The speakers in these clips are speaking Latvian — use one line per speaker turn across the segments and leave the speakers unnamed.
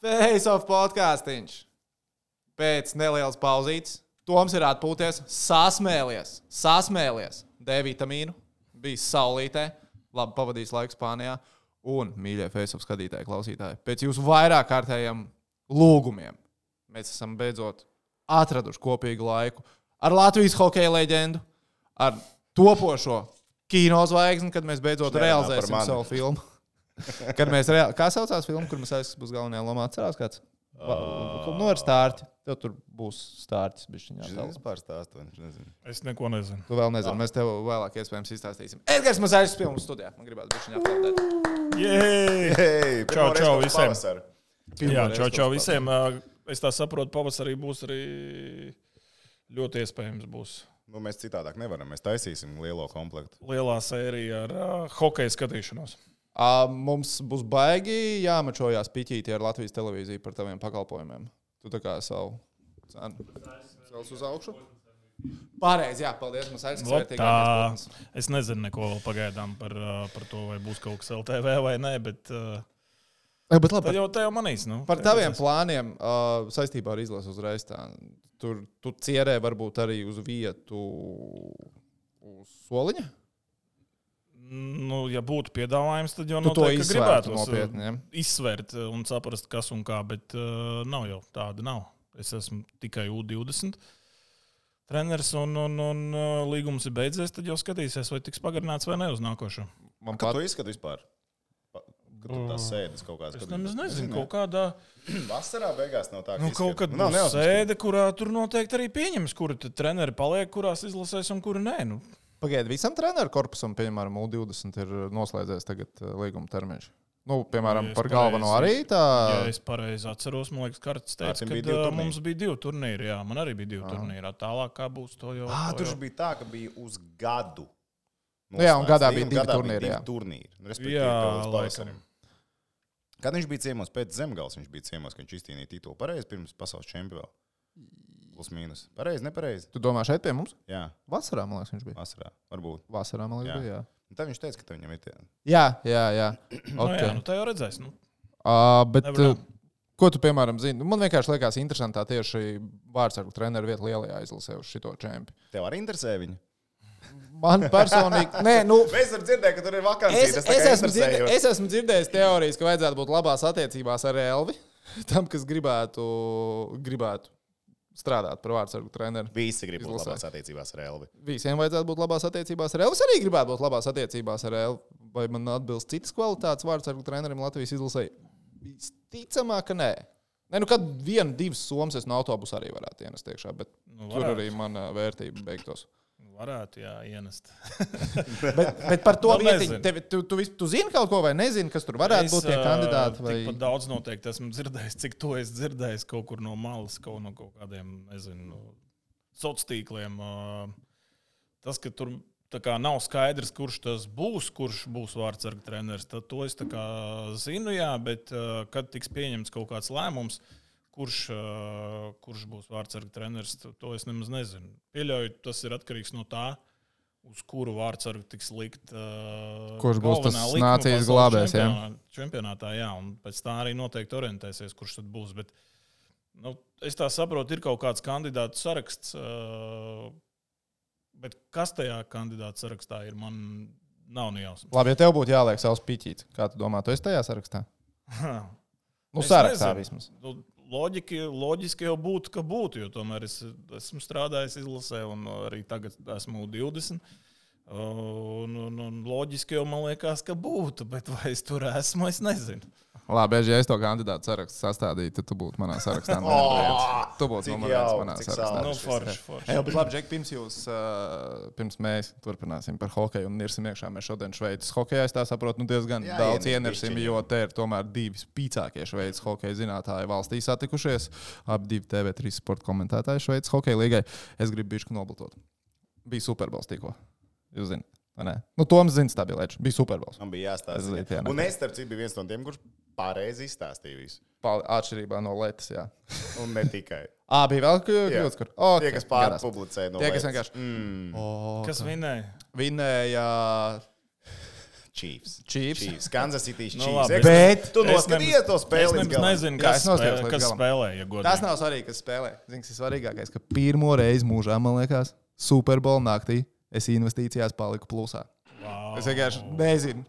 Face of podcastiņš. Pēc nelielas pauzītes. Toms ir atpūties, sasmēlies. D vitamīnu, bijis saulītē, labi pavadījis laiku Spānijā. Un, mīļie Face of skatītāji, klausītāji, pēc jūsu vairāk kārtējiem lūgumiem mēs esam beidzot atraduši kopīgu laiku ar Latvijas hokeja leģendu, ar topošo kinozvaigzni, kad mēs beidzot realizēsim savu filmu. Kad mēs kā saucās filmu, kur mēs būs galvenajā lomā? Atcerās kāds? Nu, ar stārķi. Tev tur būs stārķis.
Es pār stāstu, nezinu.
Es neko nezinu.
Tu vēl nezini. Mēs tev vēlāk iespējams izstāstīsim. Edgars Mazāļs filmu studijā. Man gribētu bišķiņā aplaudēt.
Jej! Čau visiem. Jā, čau visiem.
Visiem.
Es tā saprotu, pavasarī būs arī ļoti iespējams būs.
Nu, mēs citādāk nevaram. Mēs taisīsim lielo komplektu.
Lielā sērija ar hokeja skatīšanos.
Mums būs baigi jāmačojās piķīti ar Latvijas televīziju par taviem pakalpojumiem. Tu tā kā savu cenu cels uz augšu. Pareizi, jā, paldies.
Es nezinu neko vēl pagaidām par to, vai būs kaut kas LTV vai nē, bet
labi,
tā jau manīs. Nu,
par taviem plāniem saistībā ar izlasu uzreiz tā. Tur tu cierē varbūt arī uz vietu uz soliņa?
Nu, ja būtu piedāvājums, tad jau
noteikti
gribētu
nopietni,
izsvērt un saprast, kas un kā, bet nav jau tāda nav. Es esmu tikai U20 treneris un līgums ir beidzies, tad jau skatīsies, vai tiks pagarināts vai ne uz nākošo.
Kā tu izskati vispār? Kad tu tās sēdes kaut kāds?
Es nezinu, kaut kādā...
Vasarā beigās nav tā, ka
kaut kad būs sēde, kurā tur noteikti arī pieņems, kuri treneri paliek, kurās izlasēs un kuri nē. Nu.
Pagaid, visam treneru korpusam, piemēram, U20 ir noslēdzies tagad līguma termiņš. Nu, piemēram, par galveno arī tā...
Ja es pareizi atceros, man liekas, Karts teica, ka mums bija 2 turnīri. Jā, man arī bija 2 turnīri. Tālāk kā būs to jau...
Tur bija tā, ka bija uz gadu.
Jā, un gadā bija 2 turnīri.
Jā, laikam.
Kad viņš bija ciemos pēc Zemgales, viņš bija ciemos, ka viņš izcīnīja titulu pareizi pirms pasaules čempionu. Plus mīnus. Pareizi, nepareizi.
Tu domā šeit pie mums?
Jā.
Vasarā, man liekas, viņš bija.
Vasarā, varbūt.
Vasarā, man liekas, bija, jā.
Un tad viņš teica, ka viņam ir tie.
Jā.
Okay. Jā, tā jau redzēs. Nu.
Bet ko tu, piemēram, zini? Man vienkārši liekas interesantā tieši vārdsargu treneru vietu lielajā izlasē uz šito čempi.
Tev arī interesē viņu?
Man personīgi... Nē, nu...
Mēs varam dzirdēt, ka tur ir vakansija.
Es esmu dzirdējis teorijas, ka vajadzētu būt labās attiecībās ar Elvi. Tam, kas gribētu strādāt par vārdsargu treneru.
Visi grib būt labās attiecībās ar Elvi.
Visiem vajadzētu būt labās attiecībās ar Elvi. Es arī gribētu būt labās attiecībās ar Elvi. Vai man atbilst citas kvalitātes vārdsargu trenerim Latvijas izlasē? Visticamāk, ka nē. Nē, nu kad 1-2 somas es no autobusa arī varētu ienest iekšā, bet tur arī mana vērtība beigtos.
Varētu, jā, ienest.
bet par to vietiņu, tu zini kaut ko vai nezini, kas tur varētu būt tie kandidāti? Vai...
Tikpat daudz noteikti esmu dzirdējis, cik to es dzirdējis kaut kur no malas, no kaut kādiem, nezinu, sociāliem tīkliem. Tas, ka tur tā kā nav skaidrs, kurš būs vārdsargu treneris, tad to es tā kā zinu, jā, bet kad tiks pieņemts kaut kāds lēmums, kurš būs vārdsargu treneris, to es nemaz nezinu. Pieļauju, tas ir atkarīgs no tā, uz kuru vārdsargu tiks likt
kurš būs tas nācijas glābējs, jā?
Čempionātā, jā, un pēc tā arī noteikti orientēsies, kurš tad būs. Bet, nu, es tā saprotu, ir kaut kāds kandidātu saraksts, bet kas tajā kandidātu sarakstā ir, man nav nejausmas.
Labi, ja tev būtu jāliek savs piķīts, kā tu domā, tu esi tajā sarakstā? Nu, sarakstā vismaz.
Loģiski jau būtu, ka būtu, jo tomēr es esmu strādājis izlasē un arī tagad esmu 20. Un loģiski jau man liekas, ka būtu, bet vai es tur esmu, es nezinu.
Labi, ja es to kandidātu sarakstu sastādītu, tad tu būtu manā sarakstā. Tu būtu manā sarakstā.
Nu, forši.
Bet labi, Džek, pirms mēs turpināsim par hokeju un nirsim iekšā, mēs šodien Šveices hokejā, es tā saprotu, diezgan daudz ienirsim, jo te ir tomēr 2 spīcākie Šveices hokeja zinātāji valstī satikušies. Abi 2 TV3 sporta komentētāji Šveices hokeja līgai. Es gribu bišķi noblotot. Bija Superbols tikko. Jūs zināt. Nu, Toms zina, tā bija lēča. Bija Superbols.
Man bija jāstāsta. Un es, starp citu, biju viens no tiem, kurš pareizi izstāstīja visu.
Atšķirībā no Letas, jā.
Un ne tikai.
Bija vēl kļūdas, kur?
Tie, kas pārpublicēja no
Letas.
Kas vinēja?
Vinēja
Chiefs.
Kansas
City
Nu,
Chiefs.
labi.
Bet
tu noskatījies to spēli.
Es nezinu,
Jā, es noskatījos līdz
kas
galam.
spēlē. Ja godīgi.
Tas nav svarīgi, kas spēlē. Zini, kas ir svarīgākais, ka pirmo reizi mūžā, man liekas, Super Bowl naktī es investīcijās paliku plusā.
Wow.
Es vienkārši nezinu,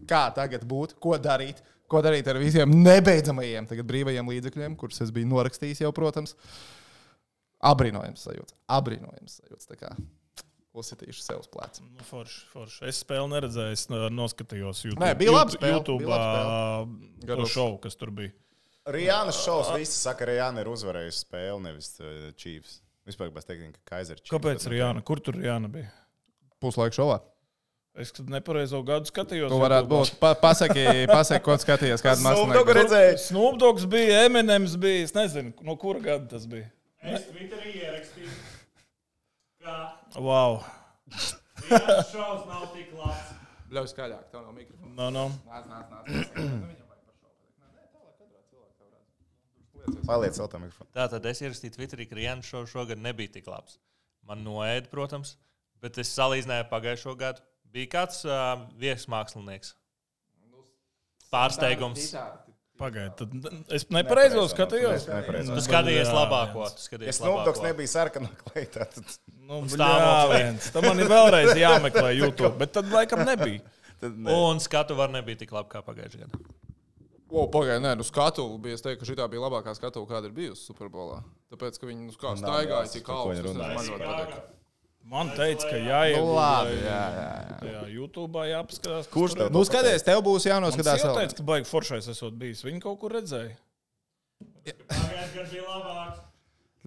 kā tagad būtu, ko darīt. Ko darīt ar visiem nebeidzamajiem tagad brīvajiem līdzekļiem, kurus es biju norakstījis jau, protams. Abrīnojams sajūts. Tā kā uzsitīšu sev uz pleca.
Nu, forši. Es spēli neredzēju, es noskatījos YouTube.
Nē, bija laba spēle,
YouTube
bija laba
to šovu, kas tur bija.
Rihannas šovs, visi saka, Rihanna ir uzvarējusi spēli, nevis Chiefs. Vispār bez teikt, ka Kaiser Chiefs.
Kāpēc Rihanna? Kur tur Rihanna bija?
Puslaika šovā.
Es nepareizo gadu skatījos.
Tu varētu būt. Pasaki, ko skatījies, kādu
Snoop
mākslinieku.
Snoop Dogs bija, Eminems bija, es nezinu, no kura gada tas bija.
Es Twitterī ierakstīju, ka
Wow.
Rihannas šovs nav tik labs.
Ļauj skaļāk, tev nav mikrofona.
No.
Paliec vēl tā mikrofonu.
Tātad es ierakstīju Twitterī, ka Rihannas šovs šogad nebija tik labs. Man noēda, protams, bet es salīdzināju pagājušo gadu. Bija kāds viesmākslinieks. Pārsteigums.
Pagaid, tad es nepareizo skatījos.
Tu skatījies labāko.
Es Snoop Dogs nebija sarkanā kleitā.
Nu,
Stāvoklī.
Tam man ir vēlreiz jāmeklē YouTube, bet tad laikam nebija.
Un skatu var nebija tik labi kā pagājušajā gadā.
Pagaid, nē, skatuve bija. Es teiktu, ka šī bija labākā skatuve, kāda ir bijusi Superbolā. Tāpēc, ka viņi staigāja tik augstu. Man
teica, ka jāiegūda YouTube jāpaskatās.
Kurš tev?
Nu, skaties, tev būs jānoskatās.
Es jau teicu, ka baigi foršais esot bijis. Viņi kaut kur redzēja.
Pagājušajā gadā bija labāks.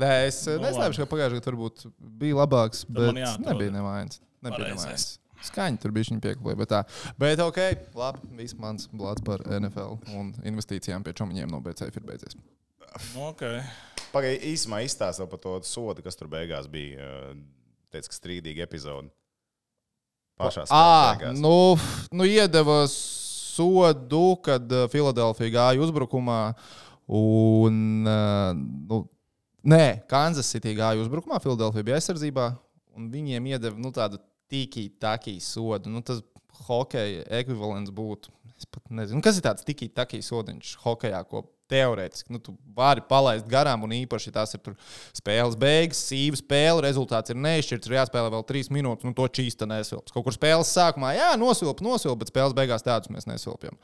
Nē, es neslēpšu, ka pagājušajā gadā varbūt bija labāks, bet
man jāatrod.
nebija nevainas. Skaņi tur bija viņa pieklājība. Bet ok, labi, viss mans blāds par NFL un investīcijām pie čomiņiem no BCF ir beidzies.
Okay.
Pagaid, īsumā izstāstīja par to sodu, kas tur beigās bija. Teica, ka strīdīga epizode. Pašās beigās.
Nu iedeva sodu, kad Filadelfija gāja uzbrukumā un, Kansas City gāja uzbrukumā, Filadelfija bija aizsardzībā un viņiem iedeva, tādu tiki-taki sodu. Tas hokeja ekvivalents būtu, es pat nezinu, kas ir tāds tiki-taki sodiņš hokejā, ko teorētiski, tu vari palaist garām, un īpaši tās ir spēles beigas, sīva spēle, rezultāts ir neizšķirts, ir jāspēlē vēl 3 minūtes, to čīsta nesilps. Kaut kur spēles sākumā, nosilp, bet spēles beigās tādus mēs nesilpjam.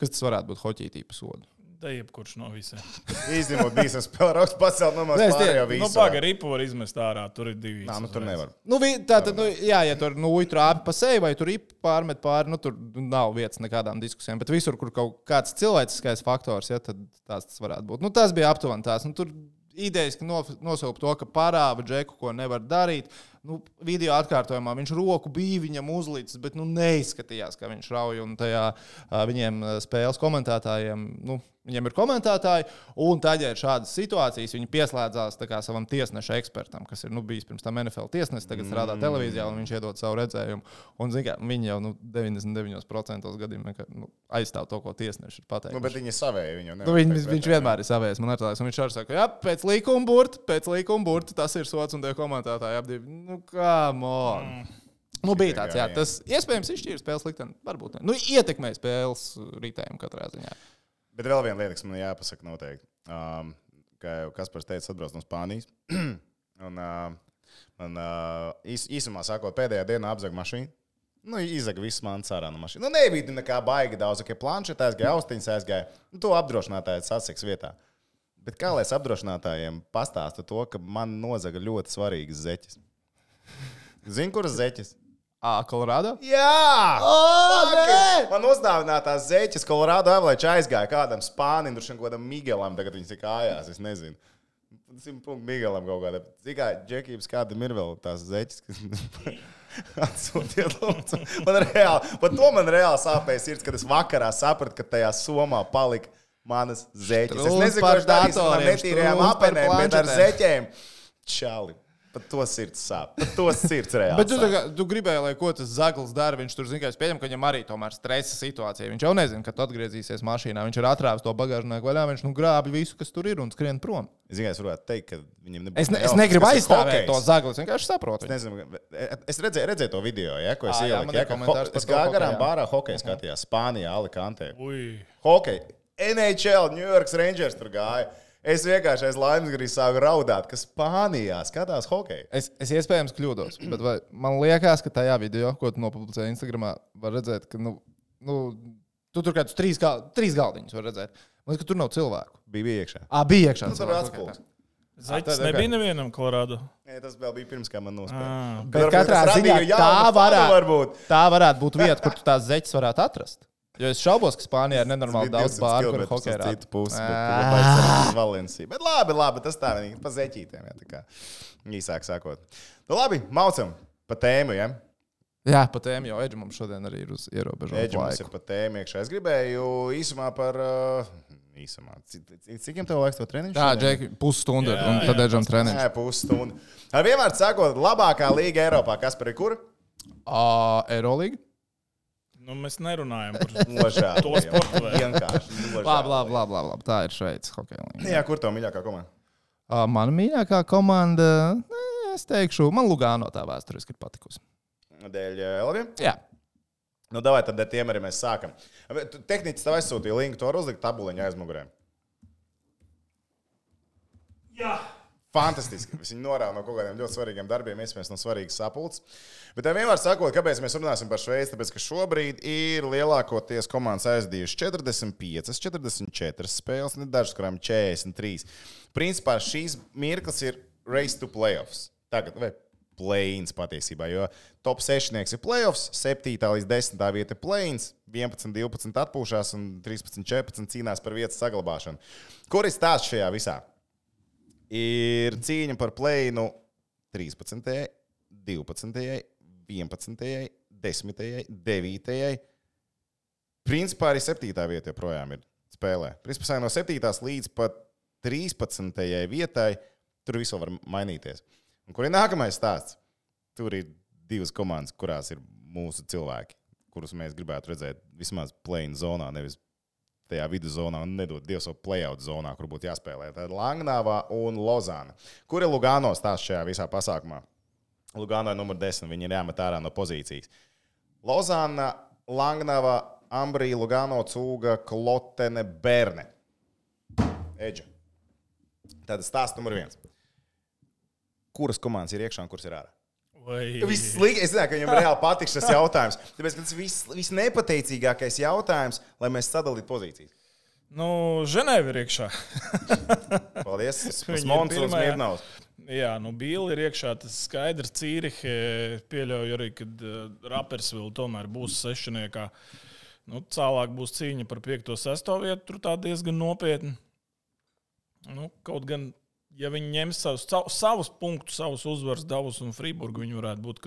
Kas tas varētu būt hoķī tīpa sodu?
Da jebkurš no visiem.
Izņemot bijis spēle rakstu pacelt no maz pārējā visu.
Paga ripu var izmest ārā, tur ir 2.
Nā, tur nevar.
Tātad, ja tur trāpi pa seju vai tur ripu pārmet pāri, tur nav vietas nekādām diskusijām. Bet visur, kur kaut kāds cilvēciskais faktors, tad tas varētu būt. Tas bija aptuveni tās. Tur idejas, ka nosaukt to, ka parāva džeku, ko nevar darīt. Video atkārtojumā viņš roku bija viņam uzlicis, bet neizskatījās, ka viņš rauj. Un tajā viņiem spēles komentētājiem, viņiem ir komentētāji, un tad, ja ir šādas situācijas, viņi pieslēdzās savam tiesneša ekspertam, kas ir bijis pirms tam NFL tiesnesis, tagad strādā televīzijā, un viņš iedod savu redzējumu. Un, viņi jau 99% gadījumā aizstāv to, ko tiesneši ir pateikuši.
Bet viņi ir savēji.
Viņš vienmēr ir savējis. Man liekas, un viņš arī saka, jā, pēc likuma burta, tas ir sots, un tie komentētāji apdivi. Come on. Bija tāds, jā, tas iespējams izšķīra spēles likteni, varbūt ne. Ietekmēja spēles ritējumu katrā ziņā.
Bet vēl viena lieta, kas man jāpasaka noteikti. Kā jau Kaspars teica, atbrauc no Spānijas. Man īsumā sakot, pēdējā dienā apzaga mašīnu. Izaga viss mans ārā no mašīnas. Nebija nekā baigi daudz, ka planšetē aizgāja, austiņas aizgāja. To apdrošinātājs atseks vietā. Bet kā lai es apdrošinātājiem pastāstu to, ka man nozaga ļoti svarīgas zeķes? Zini, kuras zeķes?
Kolorādo?
Jā! Man uzdāvinātās zeķes Kolorādo Avalanche aizgāja kādam Spānim, kādam Miguelam, tagad viņš ir kājās, es nezinu. 100 Miguelam kaut kādā. Cikā, Džekības kādam ir vēl tās zeķes, kas atsūtiet lūdzu. Man reāli sāpēja sirds, kad es vakarā sapratu, ka tajā somā palika manas zeķes. Es nezinu, ko es darīju ar netīrajām apenēm, bet ar zeķēm. Čali. Pat to sirds sāp. Pat to sirds reāli.
Bet tu gribēji, lai ko tas Zaglis dara. Viņš tur zina, ka es pieņemu, ka viņam arī tomēr stresa situācija. Viņš jau nezina, kad atgriezīsies mašīnā. Viņš ir atrāvis to bagāžnieku vaļā. Viņš grābi visu, kas tur ir un skrien prom.
Es varētu teikt, ka viņam nebūs.
Es negribu aizstāvēt to Zagli. Es vienkārši saprotu.
Es redzēju to video, ko es ieliku. Es gāju garām bārā hokeja skatījās Spānijā, Alicantē. Hokeja. NHL, New York Rangers tur gāja. Es vienkārši aiz laimes gribēju sākt raudāt, ka Spānijā skatās hokeju.
Es iespējams kļūdos, bet man liekas, ka tajā video, ko tu nopublicēji Instagramā, var redzēt, ka tu tur kādus trīs galdiņus var redzēt. Man liekas, ka tur nav cilvēku.
Bija iekšā.
Bija iekšā.
Tur bija atspūgs.
Zaķis nebija nevienam Kolorādo.
Nē, tas vēl bija pirms, kā man nospēlēja.
Bet katrā ziņā tā varētu būt vieta, kur tu tās zeķes varētu atrast. Jo es šaubos, ka Spānijā ir nenormāli daudz bāru, kur hokeja rāda.
Citu pusi, bet Valencija. Bet labi, tas tā vienīgi pa zeķītēm, tā kā īsāk sākot. Nu labi, maucam pa tēmu, ja?
Jā, pa tēmu, jo Edži mums šodien arī ir uz ierobežotu laiku.
Edži mums ir pa tēmu iekšā. Es gribēju īsumā par... Cik jums tev laiks to treniņu?
Jā, Džeki, pusstunda, un tad Edžam treniņš.
Jā, pusstunda. Ar vienmēr sakot, labākā līga Eiropā, kas par ir kur?
Eirolīga.
Nu, mēs nerunājam par
to
sportu.
Vienkārši.
Labi. Tā ir Šveices hokeja līnija.
Jā, kur tev mīļākā komanda?
Mana mīļākā komanda, es teikšu, man Lugano tā vēsturiski ir patikusi.
Dēļ Elviem?
Jā.
Nu, davai tad ar tiem arī mēs sākam. Tehnicis tev aizsūtīja linku, to var uzlikt tabuliņu aizmugurē.
Jā.
Fantastiski. Viņi norāda no kaut kādiem ļoti svarīgiem darbiem, iespējams, no svarīgas sapulces. Bet vienmēr sakot, kāpēc mēs runāsim par Šveici, tāpēc, ka šobrīd ir lielākoties komandas aizdījuši 45, 44 spēles, ne dažas, kurām 43. Principā šīs mirklis ir race to playoffs. Tagad, vai play-ins patiesībā, jo top 6 ir playoffs, 7. līdz 10. vieta ir play-ins, 11, 12 atpūšās un 13, 14 cīnās par vietas saglabāšanu. Kur ir stāsts šajā visā? Ir cīņa par play-inu 13., 12., 11., 10., 9. Principā arī 7. vieta joprojām ir spēlē. Principā no 7. līdz pat 13. vietai tur visu var mainīties. Un kur ir nākamais stāsts? Tur ir 2 komandas, kurās ir mūsu cilvēki, kurus mēs gribētu redzēt vismaz play-in zonā, nevis tajā viduzonā un nedod Dievs savu play-out zonā, kur būtu jāspēlē. Tā ir Langnava un Lozāna. Kur ir Lugano stāsts šajā visā pasākumā? Lugano ir numur 10, viņi ir jāmet ārā no pozīcijas. Lozāna, Langnava, Ambrī, Lugano, Cūga, Klotene, Berne. Edža. Tātad stāsts numur 1. Kuras komandas ir iekšā un kuras ir ārā? Es zinu, ka viņam reāli patiks šis jautājums. Tāpēc tas visnepateicīgākais jautājums, lai mēs sadalītu pozīcijas.
Nu, Ženēva ir iekšā.
Paldies. Smons un Smirnovs.
Jā, nu Bīli ir iekšā, tas skaidrs. Cīrihe pieļauju arī, kad Rappersville tomēr būs sešniekā. Nu, tālāk būs cīņa par 5. 6. vietu, tur tā diezgan nopietni. Nu, kaut gan... Ja viņi ņems savus punktus, savus uzvaras davus un Friburgu, viņi varētu būt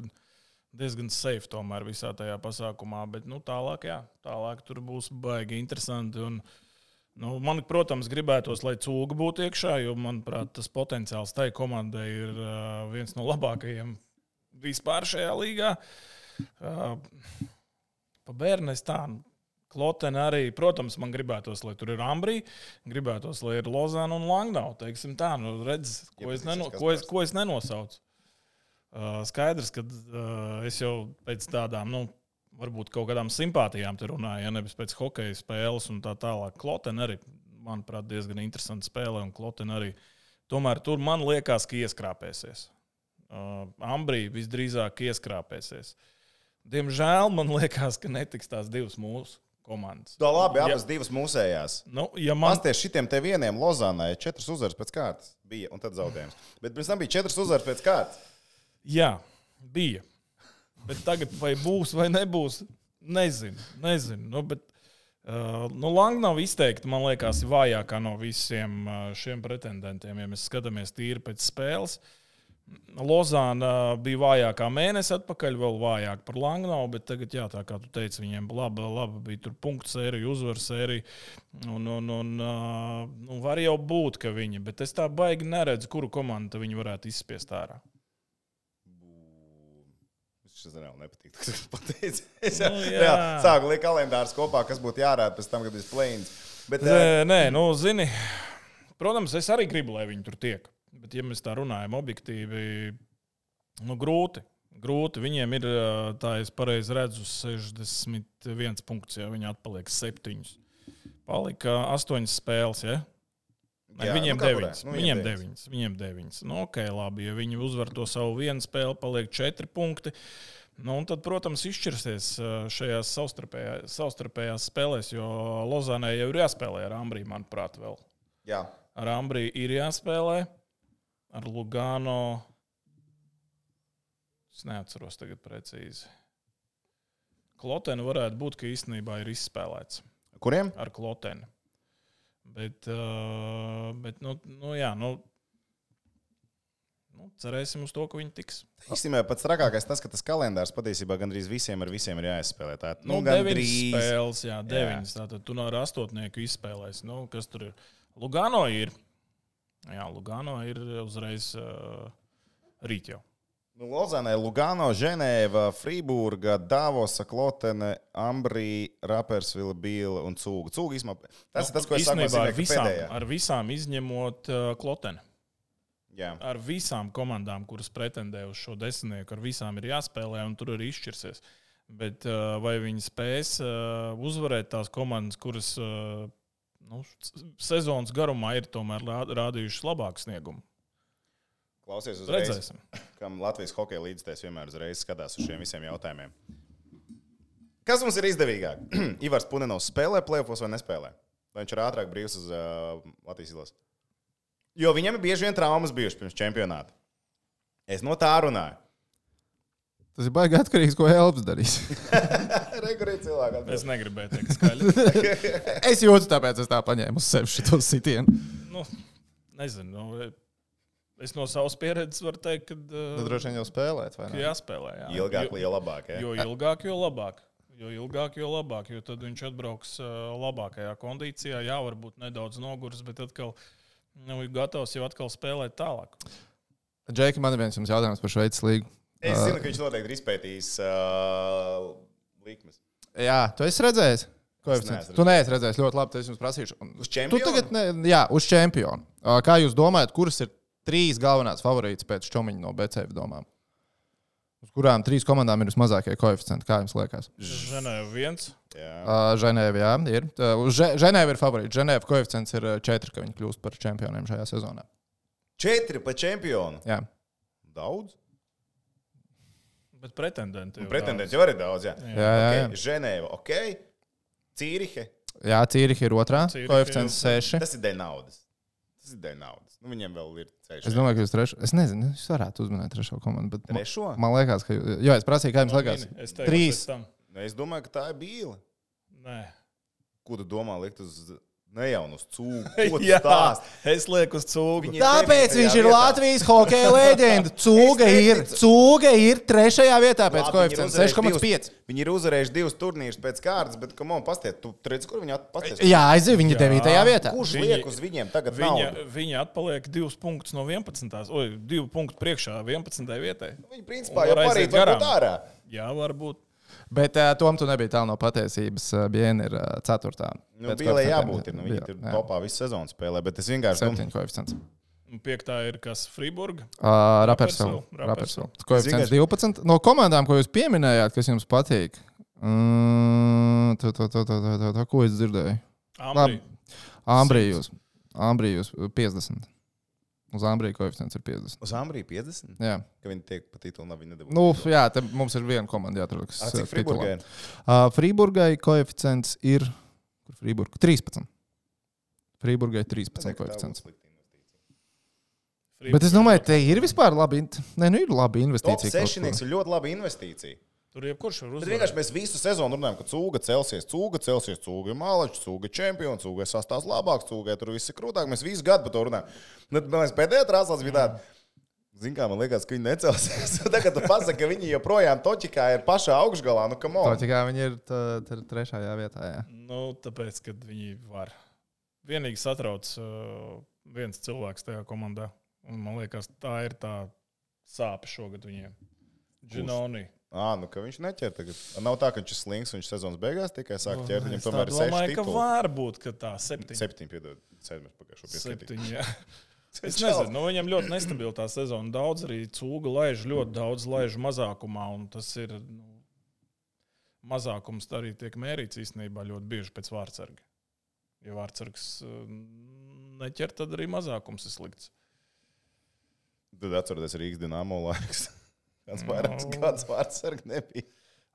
diezgan safe tomēr visā tajā pasākumā. Bet tālāk tur būs baigi interesanti. Un, man, protams, gribētos, lai Cūga būtu iekšā, jo, manuprāt, tas potenciāls tai komandai ir viens no labākajiem vispār šajā līgā. Pa Bērnes tā. Klotene arī, protams, man gribētos, lai tur ir Ambrī, gribētos, lai ir Lozāna un Langnau. Teiksim tā, redz, ko es nenosaucu. Skaidrs, ka es jau pēc tādām, varbūt kaut kādām simpātijām te runāju, ja nevis pēc hokeja spēles un tā tālāk. Klotene arī, manuprāt, diezgan interesanta spēle, un Klotene arī. Tomēr tur man liekas, ka ieskrāpēsies. Ambrī visdrīzāk ieskrāpēsies. Diemžēl man liekas, ka netiks tās 2 mūsu komandas.
Tā labi, abas 2 mūsējās. Pasties šitiem te vieniem Lozānai 4 uzvaras pēc kārtas bija, un tad zaudējums. Bet pirms tam bija 4 uzvaras pēc kārtas.
Jā, bija. Bet tagad vai būs vai nebūs, nezinu. Bet Langnava izteikti, man liekas, ir vājākā no visiem šiem pretendentiem, ja mēs skatāmies tīri pēc spēles. Lozāna bija vājākā mēnesi atpakaļ, vēl vājāk par Langnau, bet tagad, jā, tā kā tu teici, viņiem laba bija tur punktu sērija, uzvaru sērija, un var jau būt, ka viņi, bet es tā baigi neredzu, kuru komandu viņi varētu izspiest ārā.
Šis reāli nepatīk. Sāku likt kalendārus kopā, kas būtu jārāda pēc tam, kad ir plēns. Bet,
zini, protams, es arī gribu, lai viņi tur tiek. Bet, ja mēs tā runājam objektīvi, grūti. Viņiem ir, tā es pareizi redzu, 61 punkts, ja viņi atpaliek 7. Palika 8 spēles, ja?
Jā,
viņiem 9.
Viņiem
9. Labi, ja viņi uzvar to savu vienu spēli, paliek 4 punkti. Un tad, protams, izšķirsies šajās savstarpējās spēlēs, jo Lozānai jau ir jāspēlē ar Ambrī, manuprāt, vēl.
Jā.
Ar Ambrī ir jāspēlē, ar Lugano. Es neatceros tagad precīzi. Klotenu varētu būt, ka īstenībā ir izspēlēts.
Kuriem?
Ar Klotenu. Bet cerēsim uz to, ka viņi tiks.
Īstenībā pats trakākais tas, ka tas kalendārs patiesībā gandrīz visiem ir jāizspēlē. Tā,
9 spēles, 9. Tātad tu ar 8 izspēlēsi. Kas tur ir? Lugano ir. Jā, Lugano ir uzreiz rīt jau.
Lozānai, Lugano, Ženēva, Frīburga, Davosa, Klotene, Ambrī, Rapersvila, Bīla un Cūga. Cūga īstenībā. Tas ir tas, ko es saku,
ar visām izņemot Kloteni.
Jā.
Ar visām komandām, kuras pretendē uz šo 10, ar visām ir jāspēlē un tur arī izšķirsies. Bet vai viņi spēs uzvarēt tās komandas, kuras sezonas garumā ir tomēr rādījušas labāku sniegumu?
Klausies uzreiz,
redzēsim.
Kam Latvijas hokeja līdzstājs vienmēr uzreiz skatās uz šiem visiem jautājumiem. Kas mums ir izdevīgāk? Ivars Punenovs spēlē play-offos vai nespēlē? Vai viņš ir ātrāk brīvs uz Latvijas izlases? Jo viņam ir bieži vien traumas bijušas pirms čempionāta. Es no tā runāju.
Tas ir baigi atkarīgs, ko Elps darīs.
Regulīgi cilvēki.
Es negribēju teikt skaļi.
Es jūtu, tāpēc es tā paņēmu uz sevi šito sitienu.
Nezinu. Es no savas pieredzes varu teikt, ka
tad droši vien jau spēlēt, vai ne?
Jāspēlē, jā.
Ilgāk, jo labāk. Ja?
Jo ilgāk, jo labāk. Jo tad viņš atbrauks labākajā kondīcijā. Jā, varbūt nedaudz noguris, bet atkal ir gatavs jau atkal spēlēt tālāk.
Džeki, man ir viens jums jautājums par Šveices līgu.
Es zinu, ka viņš noteikti ir izpētījis likmes.
Jā, tu esi redzējis? Tu neesi redzējis ļoti labi, tad es jums prasīšu.
Uz čempionu?
Jā, uz čempionu. Kā jūs domājat, kuras ir 3 galvenās favorītas pēc Čomiņa no BCF domām? Uz kurām 3 komandām ir vismazākie koeficienti, kā jums liekas?
Ženēva 1.
Ženēva, jā, ir. Ženēva ir favorīta. Ženēva koeficients ir 4, ka viņi kļūst par čempioniem šajā sezonā.
4 par čempionu?
Jā.
Daudz?
Bet pretendenti
jau arī daudz, jā.
Jā.
Ženēva, ok. Cīrihe?
Jā, Cīrihe ir 2. Koeficients 6.
Tas ir dēļ naudas. Viņiem vēl ir ceļš.
Es domāju, ka jūs 3. Es nezinu, jūs varētu uzminēt 3. komandu.
Trešo?
Man liekas, ka... Jo, es prasīju, kā jums liekas.
3.
Es domāju, ka tā ir Bīla.
Nē.
Ko tu domā likt uz... Ne jau uz Cūgu.
Jā, es lieku uz Cūgu.
Tāpēc viņš ir Latvijas hokeja leģenda. Cūga ir 3. vietā pēc koeficienta 6,5.
Viņi ir uzvarējuši 2 turnīrus pēc kārtas, bet, pasties, tu redzi, kur viņi pasties?
Jā, aiziet, viņi 9. vietā.
Kurš liek uz viņiem tagad naudu?
Viņi atpaliek 2 punktus no 11. 2 punktus priekšā 11. vietai.
Viņi principā jau parīt varbūt ārā.
Jā, varbūt.
Bet Tom, tu nebija tālu no patiesības. Biena ir 4.
Bīlē jābūt. Viņi tur topā visu sezonu spēlē, bet es vienkārši
7 koeficients.
5. ir kas Frīburga?
Rapersvila. Koeficients 12. No komandām, ko jūs pieminējāt, kas jums patīk, ko es dzirdēju? Ambrī jūs 50. Uz Ambrī koeficients ir 50.
Uz Ambrī 50?
Jā.
Ka viņi tiek pa titulu, viņi nedabūs.
Jā, te mums ir viena komanda jāatrod, kas
cik Frīburgai?
Frīburgai koeficients ir 13. Frīburgai 13 koeficients. Bet es domāju, te ir vispār labi, ir labi investīcija.
Top 6 ir ļoti laba investīcija.
Tur jebkurš var uzvarēt.
Vienkārši mēs visu sezonu runājam, ka Cūga celsies, Cūga ir malačs, Cūga ir čempions, Cūga ir sastāvs labāks, Cūgai tur viss ir krūtāk. Mēs visu gadu par to runājam. Mēs pēdējā trāslās bija tāda, zin kā, man liekas, ka viņi necelsies. Tagad tu pasaki, ka viņi joprojām Toķikā ir pašā augšgalā.
Toķikā viņi ir 3. vietā, jā.
Tāpēc, kad viņi var. Vienīgi satrauc viens cilvēks tajā komandā. Un man liekas, tā ir tā sāpe šogad viņiem. Ginoni.
Ka viņš neķer tagad. Nav tā, ka viņš ir slings un viņš sezonas beigās tikai sāk ķert. Viņam tomēr ir 6
domāju, ka
tituli.
var būt, ka tā 7.
7, piedod. 7 pagājušo pieskaitīt.
7, jā. Es nezinu, viņam ļoti nestabila tā sezona. Daudz arī cūga laiž, ļoti daudz laiž mazākumā, un tas ir, mazākums arī tiek mērīts īstenībā ļoti bieži pēc vārtsarga. Ja vārtsargs neķer, tad arī mazākums ir slikts.
Tad atceroties Rīgas Dinamo laiks. Kāds vārtsargi nebija.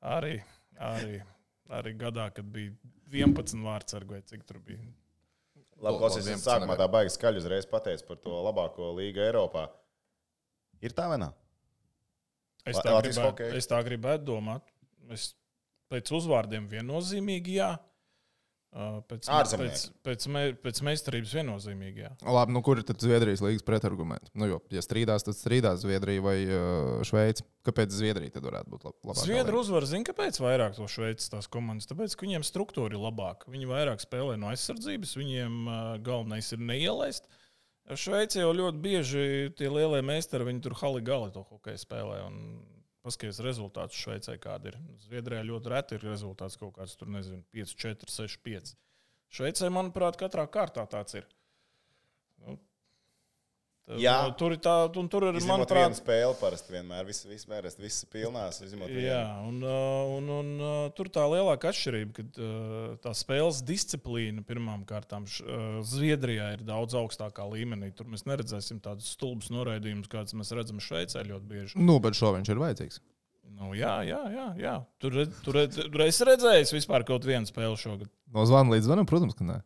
Arī gadā, kad bija 11 vārtsargu vai cik tur bija.
Labi, klausies, sākumā tā baigi skaļi uzreiz pateic par to labāko līgu Eiropā. Ir tā vai nav?
Es tā gribētu domāt. Pēc uzvārdiem viennozīmīgi jā. Pēc meistarības viennozīmīgi, jā.
Labi, kur ir tad Zviedrijas līgas pretargumenti? Jo, ja strīdās, tad strīdās Zviedrija vai Šveice. Kāpēc Zviedrija tad varētu būt labāka?
Zviedru uzvar, zina, kāpēc vairāk to Šveices tās komandas? Tāpēc, ka viņiem struktūra ir labāka. Viņi vairāk spēlē no aizsardzības, viņiem galvenais ir neielaist. Šveice jau ļoti bieži tie lielie meistari, viņi tur hali-gali to hokeju spēlē un paskaties rezultātus Šveicē, kāda ir. Zviedrijā ļoti reti ir rezultāts kaut kāds, tur nezinu, 5-4, 6-5. Šveicē, manuprāt, katrā kārtā tāds ir. Tur ir,
manuprāt, viena spēle parasti vienmēr, viss pilnās.
Jā, un tur tā lielāka atšķirība, ka tā spēles disciplīna pirmām kārtām Zviedrijā ir daudz augstākā līmenī. Tur mēs neredzēsim tādus stulbus noraidījumus, kādas mēs redzam Šveicē ļoti bieži.
Bet šo viņš ir vajadzīgs.
Jā. Tur es redzēju vispār kaut vienu spēli šogad.
No zvana līdz zvanam, protams, ka nē.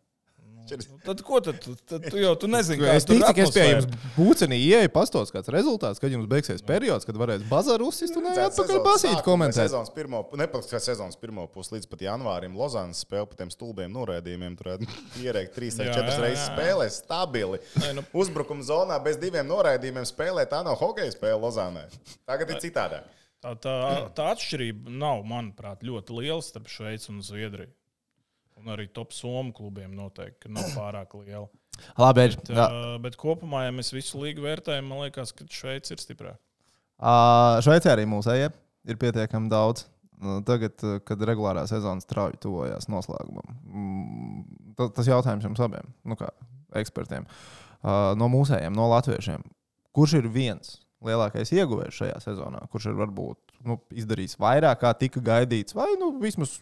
Tad ko tad? Tu nezini, kā
es ticu, ka es pie jums būcenī ieeju pastos kāds rezultāts, kad jums beigsies periods, kad varēs bazaru uzsist un atpakaļ basīt komentēt.
Sezonas pirmo pusi līdz pat janvārim Lozānas spēle par tiem stulbiem noraidījumiem. Tur ierēkt 3 vai 4 reizes spēlē stabili. Uzbrukuma zonā bez 2 noraidījumiem spēlē. Tā nav hokeja spēle Lozānai. Tagad ir citādāk.
Tā atšķirība nav, manuprāt, ļoti liela starp Šveici un Zviedriju. Un arī top somu klubiem noteikti nav pārāk liela.
Labi,
bet kopumā, ja mēs visu līgu vērtējam, man liekas, ka Šveice ir stiprāka.
Šveicē arī mūsējie ir pietiekami daudz. Tagad, kad regulārā sezona strauji tuvojās noslēgumam. Tas jautājums jums abiem, kā ekspertiem. No mūsējiem, no latviešiem. Kurš ir viens lielākais ieguvējs šajā sezonā? Kurš ir varbūt izdarījis vairāk, kā tika gaidīts? Vai vismaz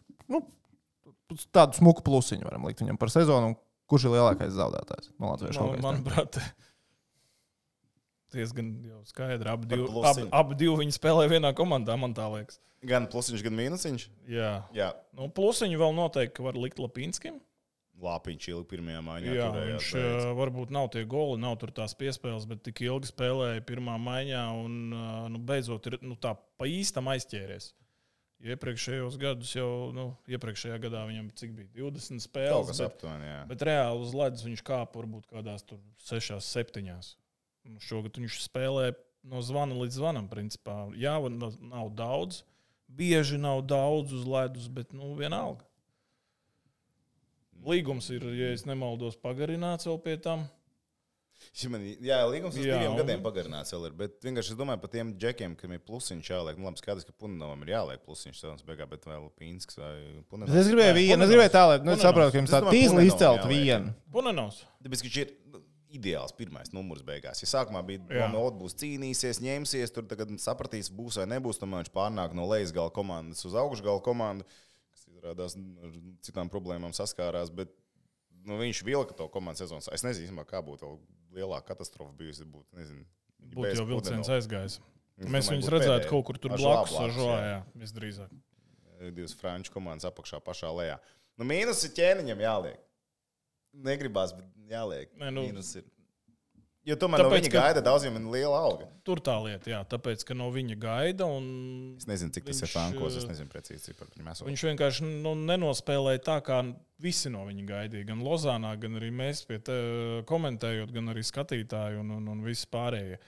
tādu smuku plusiņu varam likt viņam par sezonu, kurš ir lielākais zaudētājs no latviešu hokeja?
Manuprāt, diezgan jau skaidri. Abi divi viņi spēlē vienā komandā, man tā liekas.
Gan plusiņš, gan mīnusiņš?
Jā. Plusiņu vēl noteikti var likt Lapinskim.
Lapiņš ilgi pirmajā maiņā.
Jā, viņš varbūt nav tie goli, nav tur tās piespēles, bet tik ilgi spēlēja pirmā maiņā un beidzot ir tā pa īstam aizķēries. Iepriekšējos gadus iepriekšējā gadā viņam cik bija 20 spēles, bet reāli uz ledus viņš kāpa varbūt kādās tur 6, 7. Šogad viņš spēlē no zvana līdz zvanam, principā. Jā, nav daudz, bieži nav daudz uz ledus, bet vienalga. Līgums ir, ja es nemaldos, pagarināts vēl pie tam.
Jā, līgums uz 2 gadiem pagarināts vēl ir, bet vienkārši es domāju par tiem džekiem, kam ir plusiņš jāliek. Labi, skaidrs, ka Puninovam ir jāliek plusiņš sezonas beigā, bet vēl Pinsks vai Punenovs.
Es gribēju tā, lai saprotu, ka jums tā tīzli izcelt vienu.
Punenovs.
Tāpēc, ka viņš ir ideāls pirmais numurs beigās. Ja sākumā bija būs cīnīsies, ņemsies, tur tagad sapratīs, būs vai nebūs, tomēr viņš pārnāk no lejas gala komandas uz augšgala komandu, kas izrādās ar citām problēmām saskārās, bet viņš vilka to komandu sezonas. Es nezinu, kā būtu vēl lielāka katastrofa bijusi.
Būtu jau vilciens aizgājis. Mēs viņus redzētu kaut kur tur blakus Žoā, visdrīzāk.
2 franču komandas apakšā pašā lejā. Mīnus ir ķēniņam jāliek. Negribās, bet jāliek. Mīnus ir. Jo tomēr no viņa gaida daudziem ir liela alga.
Tur tā lieta, jā. Tāpēc, ka no viņa gaida un...
Es nezinu, cik tas ir frankos, es nezinu precīzi par viņu esot.
Viņš vienkārši nenospēlēja tā, kā visi no viņa gaidīja. Gan Lozānā, gan arī mēs pie te komentējot, gan arī skatītāji un visi pārējie.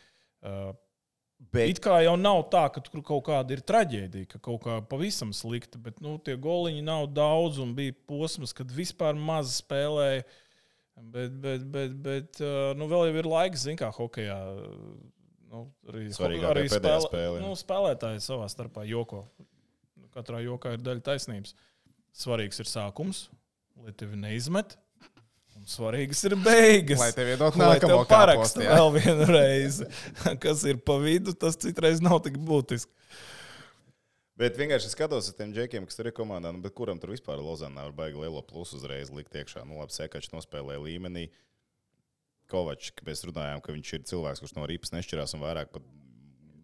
It kā jau nav tā, ka tur kaut kāda ir traģēdija, ka kaut kā pavisam slikta, bet tie goliņi nav daudz un bija posms, kad vispār maz spēlēja. Bet vēl jau ir laiks, zin kā hokejā.
Svarīgākā pēdējā spēle.
Spēlētāji savā starpā joko. Katrā jokā ir daļa taisnības. Svarīgs ir sākums, lai tevi neizmet. Un svarīgas ir beigas.
Lai tev iedot
Lai tev
nākamo
parakstu
kāpostu, jā.
vēl vienu reizi. Kas ir pa vidu, tas citreiz nav tik būtiski.
Bet vienkārši skatos uz tiem džekiem, kas tur ir komandā, bet kuram tur vispār Lozanā var baigi lielo plusu uzreiz likt iekšā. Labi, Sekačs nospēlēja līmenī. Kovačs, ka mēs runājām, ka viņš ir cilvēks, kurš no ripas nešķirās un vairāk pat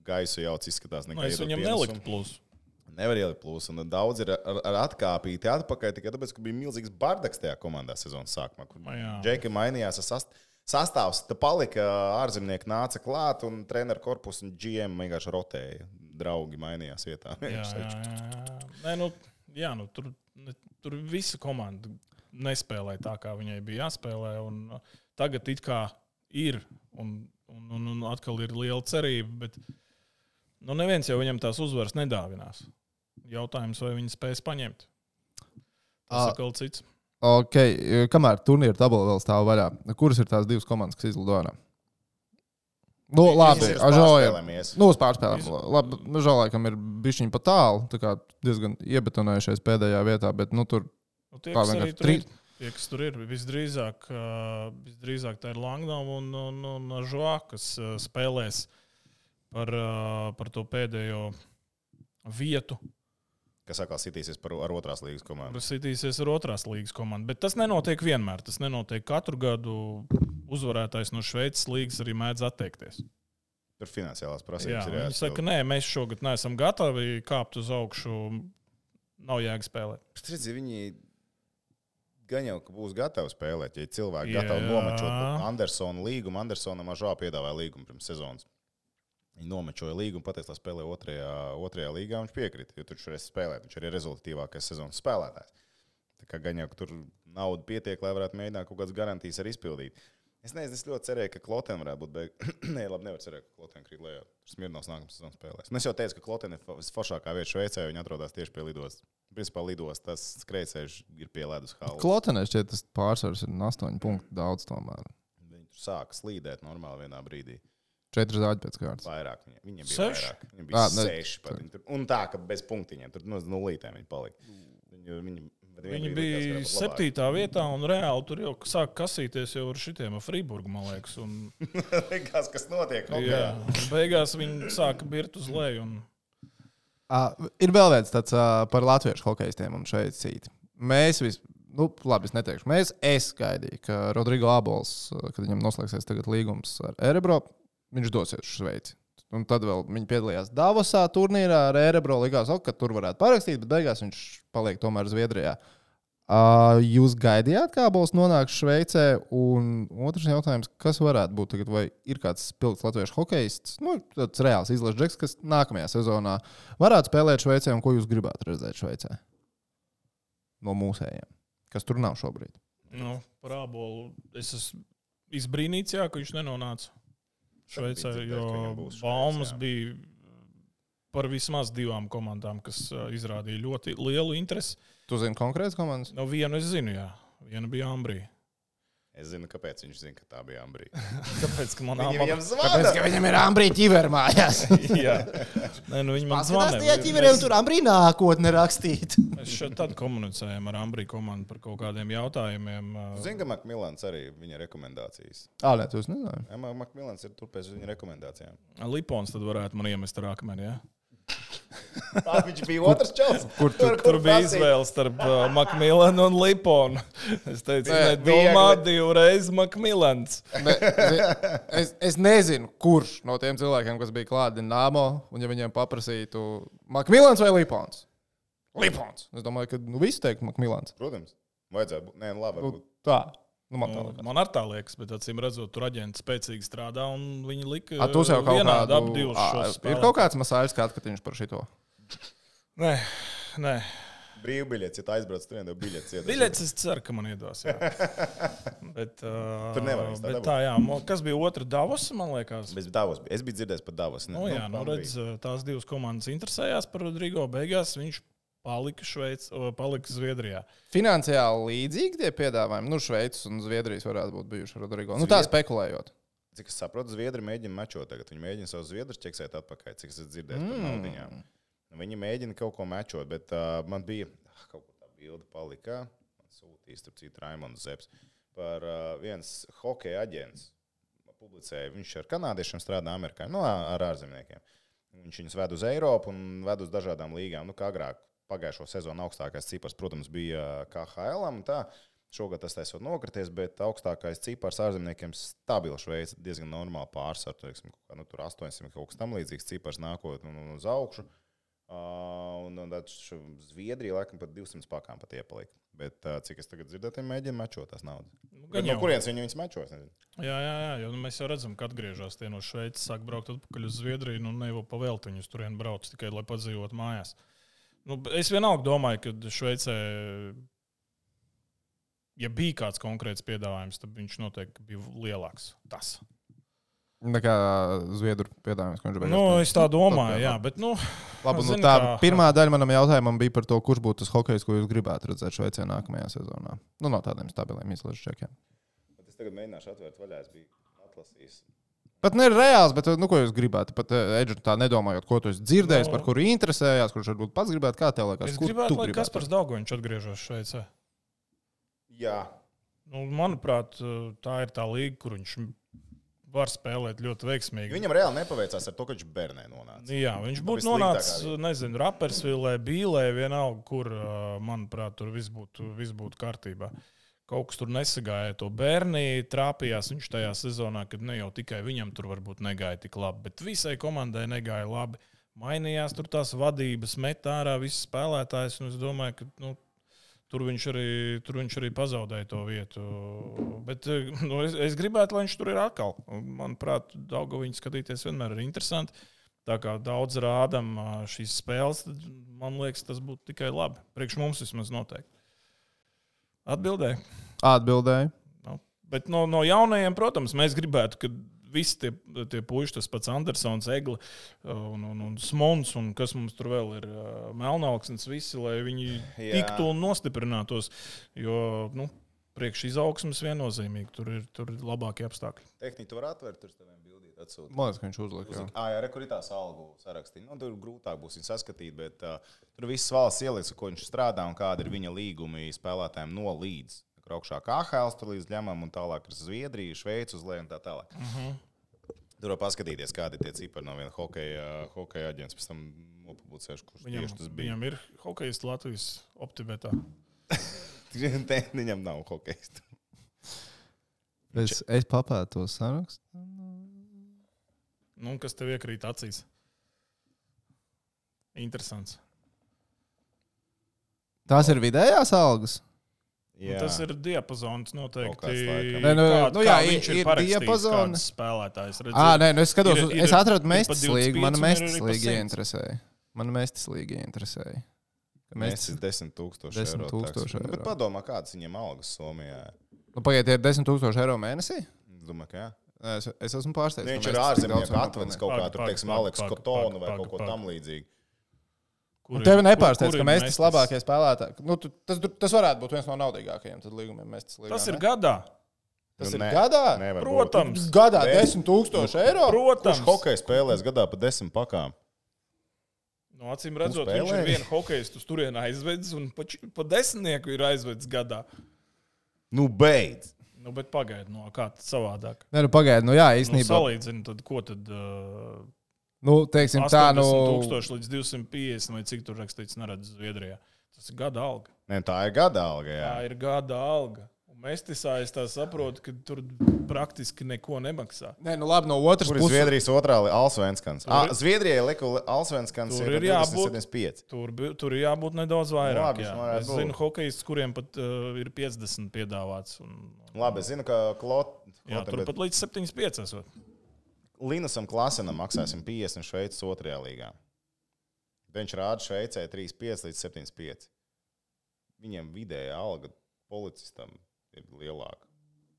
gaisu jauc izskatās nekā
Es viņam neliktu plusu.
Nevar ielikt plusu. Un daudz ir ar atkāpīti atpakaļ tikai tāpēc, ka bija milzīgs bardaks tajā komandā sezonas sākumā. Džeki mainījās sastāvs, tad palika ārzemnieki nāca klāt un treneru korpus un GM vienkārši rotēja. Draugi mainījās vietā.
Tur visa komanda nespēlēja tā, kā viņai bija jāspēlē. Un tagad it kā ir un atkal ir liela cerība, bet neviens jau viņam tās uzvaras nedāvinās. Jautājums, vai viņi spēs paņemt. Tas atkal cits.
Ok, kamēr turnīra tabula vēl stāv vaļā, kuras ir tās divas komandas, kas izlido ārā? Labi, uz pārspēlēm. Labi, Žalēkam ir bišķiņi pa tālu, tā kā diezgan iebetonējušies pēdējā vietā, bet tur
tie, kas tur ir, visdrīzāk tā ir Langnau un Žoā, kas spēlēs par to pēdējo vietu.
Kas atkal sitīsies ar otrās līgas komandu.
Sitīsies ar otrās līgas komandu. Bet tas nenotiek vienmēr. Tas nenotiek katru gadu. Uzvarētājs no Šveices līgas arī mēdz atteikties.
Tur finansiālās prasības ir
viņi saka, nē, mēs šogad neesam gatavi kāpt uz augšu. Nav jēga spēlēt.
Viņi gan jau, ka būs gatavi spēlēt. Ja cilvēki gatavi nomečot Andersonu līgumu, Andersonam Žoā piedāvāja līgumu pirms sezonas. Viņi nomečoja līgumu, pateica, lai spēlē otrajā līgā, viņš piekrita, jo tur varēs spēlēt. Viņš arī ir rezultatīvākais sezonas spēlētājs. Tā kā gan jau, ka tur nauda pietiek, lai varētu mēģināt kaut kādas garantijas arī izpildīt. Es nezinu, es ļoti cerēju, ka Kloten varētu būt Nē, labi, nevar cerēt, ka Kloten krīt lejā. Smirnovs nākamā sezona spēlēs. Es jau teicu, ka Kloten ir visforšākā vieta Šveicē, viņi atrodas tieši pie lidostas. Principā lidostas, tas skrejceļš ir pie ledus halas.
Klotenē šķiet, tas pārsvars ir 8 punktu daudz tomēr.
Viņi tur sāka slīdēt normāli vienā brīdī.
4 zāģi pēc kārtas.
Vairāk. Viņiem bija vairāk. Viņiem bija 6 pat. Un tā, ka bez punktiņiem. Tur no nulītēm viņi palika.
Viņi bija 7. vietā un reāli tur jau sāk kasīties jau ar šitiem Friburgu, man liekas.
Likās, kas notiek.
Jā, beigās viņi sāka birt uz leju.
Ir vēl viens tāds par latviešu hokejistiem un šeit cīti. Mēs labi, es neteikšu. Es gaidīju, ka Rodrigo Abols, kad viņam noslēgsies tagad līgums ar Erebro, viņš dosies uz Šveici. Un tad vēl viņi piedalījās Davosā turnīrā ar Erebro. Likās, ka tur varētu parakstīt, bet beigās viņš paliek tomēr Zviedrijā. Jūs gaidījāt, kā Abols nonāks Šveicē? Un otrs jautājums, kas varētu būt tagad? Vai ir kāds spilgts latviešu hokejists, tāds reāls izlases džeks, kas nākamajā sezonā varētu spēlēt Šveicē, un ko jūs gribētu redzēt Šveicē? No mūsējiem, kas tur nav šobrīd.
Par Abolu es esmu izbrīnīts, ka viņš nenonāca Šveicē, jo baumas bija par vismaz 2 komandām, kas izrādīja ļoti lielu interesi.
Tu zini konkrētas komandas?
Vienu es zinu, jā. Viena bija Ambrija.
Es zinu, kāpēc viņš zina, ka tā bija Ambrija.
Kāpēc, ka man
Tāpēc, ka viņam ir Ambrija ķiver mājās.
Jā. Viņi man zvanīja.
Tajā ķiveriem tur Ambrija nākotne rakstīt.
Mēs šeit tad komunicējam ar Ambriju komandu par kaut kādiem jautājumiem.
Zinu, ka Makmilans arī viņa rekomendācijas.
Nē, tu nezināji.
Jā, Makmilans ir tur pēc viņa rekomendācijām.
Lipons tad varētu man iemest ar akmeni, jā?
Viņš bija otrs čels.
Tur bija izvēle starp Makmilanu un Liponu. Es teicu, nedomā 2 reizes Makmilans.
Es nezinu, kurš no tiem cilvēkiem, kas bija klāt Dinamo, un ja viņiem paprasītu Makmilans vai Lipons? Lipons. Es domāju, ka visi teiktu Makmilans.
Protams. Vajadzētu būt. Nē, labi.
Tā.
Man ar tā liekas, bet acīm redzot, tur aģenti spēcīgi strādā un viņi lika
vienādi
ap 2 šos spēlētājus.
Ir kaut kāds masāļs skatiņš par šito?
Nē.
Brīvbiļets, ja tā aizbrauc, tur vienā biļets iedos.
Biļets es ceru, ka man iedos, jā. Bet,
tur nevar
bet tā, jā. Kas bija otra Davos, man liekas?
Es biju dzirdējis par Davos.
Redz, tās 2 komandas interesējās par Rodrigo. Beigās viņš palika Zviedrijā.
Finansiāli līdzīgi tie piedāvājumi. Šveices un Zviedrijas varētu būt bijuši Rodrigo. Tā spekulējot.
Cik es saprotu, Zviedri mēģina mečot tagad. Viņi mēģina savus zviedrus ķeksēt atpakaļ, cik es dzirdēju par naudiņām. Viņi mēģina kaut ko mečot, bet man bija kaut ko tā bilde palika. Man sūtīs, tur citu Raimonds Zeps par viens hokeja aģents. Publicēja, viņš ar kanādiešiem strādā Amerikā, ar ārzemniekiem. Viņš viņus ved uz Eiropu un ved uz dažādām līgām. Kā agrāk pagājušo sezonu augstākais cipars, protams, bija KHL-am un tā. Šogad tas taisot nokrities, bet augstākais cipars ārzemniekiem stabili Šveice diezgan normāli pārsvar. Tur 800 kaut kas tam līdzīgs cipars nākot uz augšu. Un Zviedrija laikam pat 200 pakām pat iepalika. Bet cik es tagad dzirdēju, mēģina mečot tās naudas. No kurienes viņus mečos?
Jā, jo mēs jau redzam, ka atgriežas tie no Šveices, sāk braukt atpakaļ uz Zviedriju, ne jau pavēlt viņus turien brauc, tikai lai padzīvot mājās. Es vienalga domāju, ka Šveicē, ja bija kāds konkrēts piedāvājums, tad viņš noteikti bija lielāks. Tas.
Nekā Zviedru piedāvājums, ko viņš bija.
Es tā domāju, jā, bet,
Labi, tā pirmā daļa manam jautājumam bija par to, kurš būtu tas hokejs, ko jūs gribētu redzēt Šveicē nākamajā sezonā. No tādiem stabiliem izlažu čekiem.
Bet es tagad mēģināšu atvērt vaļā, es biju atlasījis.
Pat ne reāls, bet ko jūs gribētu? Pat Edžu tā nedomājot, ko tu esi dzirdējis, par kuru interesējās, kurš varbūt pats gribētu, kā tev liekas?
Es gribētu, lai Kaspars Daugoviņš atgriežas Šveicē.
Jā.
Manuprāt, tā ir tā līga, kur viņš var spēlēt ļoti veiksmīgi.
Viņam reāli nepaveicās ar to, ka viņš Bernē nonāca.
Jā, viņš būtu nonācis, Rappersvilē, Bīlē, vienalga, kur, manuprāt, tur viss būtu kārtībā. Kaut kas tur nesagāja to Bernī, trāpījās viņš tajā sezonā, kad ne jau tikai viņam tur varbūt negāja tik labi, bet visai komandai negāja labi. Mainījās tur tās vadības, met ārā visas spēlētājs, un es domāju, ka, tur viņš arī pazaudēja to vietu. Bet es gribētu, lai viņš tur ir atkal. Manuprāt, Daugoviņu skatīties vienmēr ir interesanti. Tā kā daudz rādam šīs spēles, tad man liekas, tas būtu tikai labi. Priekš mums vismaz noteikti. Atbildēju. Bet no jaunajiem, protams, mēs gribētu, ka visi tie puiši, tas pats Andersons, Egli un Smons, un kas mums tur vēl ir Melnauksnes, visi, lai viņi tiktu un nostiprinātos, jo, priekš izaugsmes viennozīmīgi, tur ir labākie apstākļi.
Tehniku tu var atvērt, tur teviem bildīt atsūt.
Man liekas, ka viņš uzlika.
Jā, kur ir tās algu sarakstīt. Tur grūtāk būs viņu saskatīt, bet tur viss valsts ieliks, ko viņš strādā un kāda ir viņa līgumi spēlētājiem no līdz. Augšā KHL tur līdz ļemam un tālāk ar Zviedriju, Šveici uz leju un tā tālāk. Tur var paskatīties, kādi ir tie cipari no viena hokeja aģents, pēc tam nopublicēšu, kurš tieši tas bija.
Viņam ir hokejists Latvijas Optibetā.
Viņam nav hokejistu.
Es papētu to sarakstu.
Kas tev iekrīt acīs? Interesants.
Tās ir vidējās algas?
Tas ir diapazons noteikti.
Viņš ir diapazons
spēlētājs.
Es skatos, es atradu Mestis līgu, man Mestis līga ieinteresēja.
Mestis 10,000 eiro. Bet padomā, kādas viņiem algas Somijā?
Pagaidiet, ir 10,000 eiro mēnesī?
Domāju, ka jā.
Es esmu pārsteigts.
Viņš ir ārzemnieku atvedis kaut kā, tur, teiksim, Aleks Kotonu vai kaut ko tam līdzīgi.
Tev nepārsteidz, ka Mestis labākie spēlētāji. Tas varētu būt viens no naudīgākajiem līgumiem Mestis līgā.
Tas ir gadā.
Tas ir gadā?
Protams.
Gadā 10,000 eiro?
Protams.
Kurš hokeja spēlēs gadā pa 10 pakām?
Acīm redzot, viņš ir vienu hokejistu uz turienu aizvedis un pa 10 ir aizvedis gadā.
Beidz!
Bet pagaidi, kā tad savādāk?
Pagaidi, jā, īstenībā.
Salīdzini, tad ko tad...
teiksim,
80,000 līdz 250, vai cik tur rakstīts, neredz Zviedrijā. Tas ir gada alga.
Tā ir gada alga, jā.
Tā ir gada alga. Un Mestisā es tā saprotu, ka tur praktiski neko nemaksā.
Labi, no otras puses.
Zviedrijas otrā Allsvenskans. Zviedrijai liku Allsvenskans ir 75.
Tur ir jābūt nedaudz vairāk. Es zinu hokejistus, kuriem pat ir 50 piedāvāts.
Labi, es zinu, ka
tur pat līdz 75 esot.
Linusam Klasenam maksāsim 50 Šveices otrajā līgā. Viņš rāda Šveicē 35 līdz 75. Viņiem vidēja alga policistam ir lielāka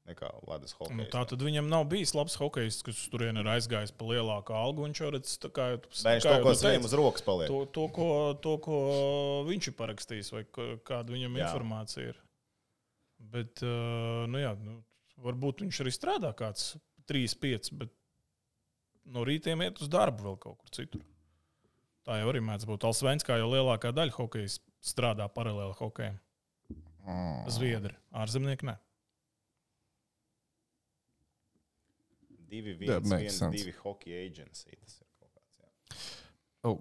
nekā ledus hokejs.
Tā tad viņam nav bijis labs hokejists, kas turien ir aizgājis pa lielāku algu. Viņš jau redz,
viņš to, ko viņam uz rokas paliek.
To, ko viņš ir parakstījis vai kāda viņam informācija ir. Bet, varbūt viņš arī strādā kāds 3-5, bet no rītiem iet uz darbu vēl kaut kur citur. Tā jau arī mēdz būt. Alsvenskā jau lielākā daļa hokeja strādā paralēli hokejam. Zviedri, ārzemnieki ne.
2 hockey agency. Tas ir kaut kāds, jā.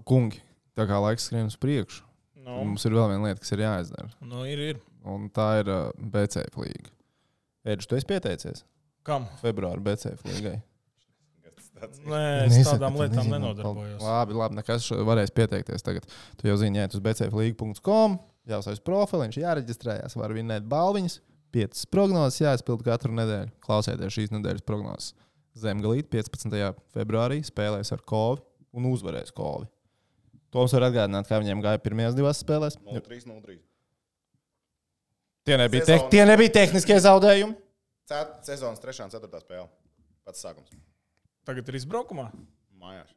Kungi, tā kā laiks skrien uz priekšu,
No.
mums ir vēl viena lieta, kas ir jāizdara.
Nu, ir.
Un tā ir BCF līga. Ēdž, tu esi pieteicies?
Kam?
Februāra BCF līgai.
Nē, es tādām lietām nenodarbojos.
Labi, nekas varēs pieteikties tagad. Tu jau zini, iet uz bcfliga.com, jāuzsauc profiliņš, jāreģistrējās, var vinnēt balviņas, 5 prognozes jāizpild katru nedēļu. Klausieties šīs nedēļas prognozes. Zemgalīt 15. februārī spēlēs ar Kovi un uzvarēs Kovi. Toms var atgādināt, kā viņiem gāja pirmajās 2 spēlēs.
0-3.
Tie nebija tehniskie zaudējumi.
Sezonas 3. un 4. spēle. Pats sākums.
Tagad ir izbraukumā?
Mājās.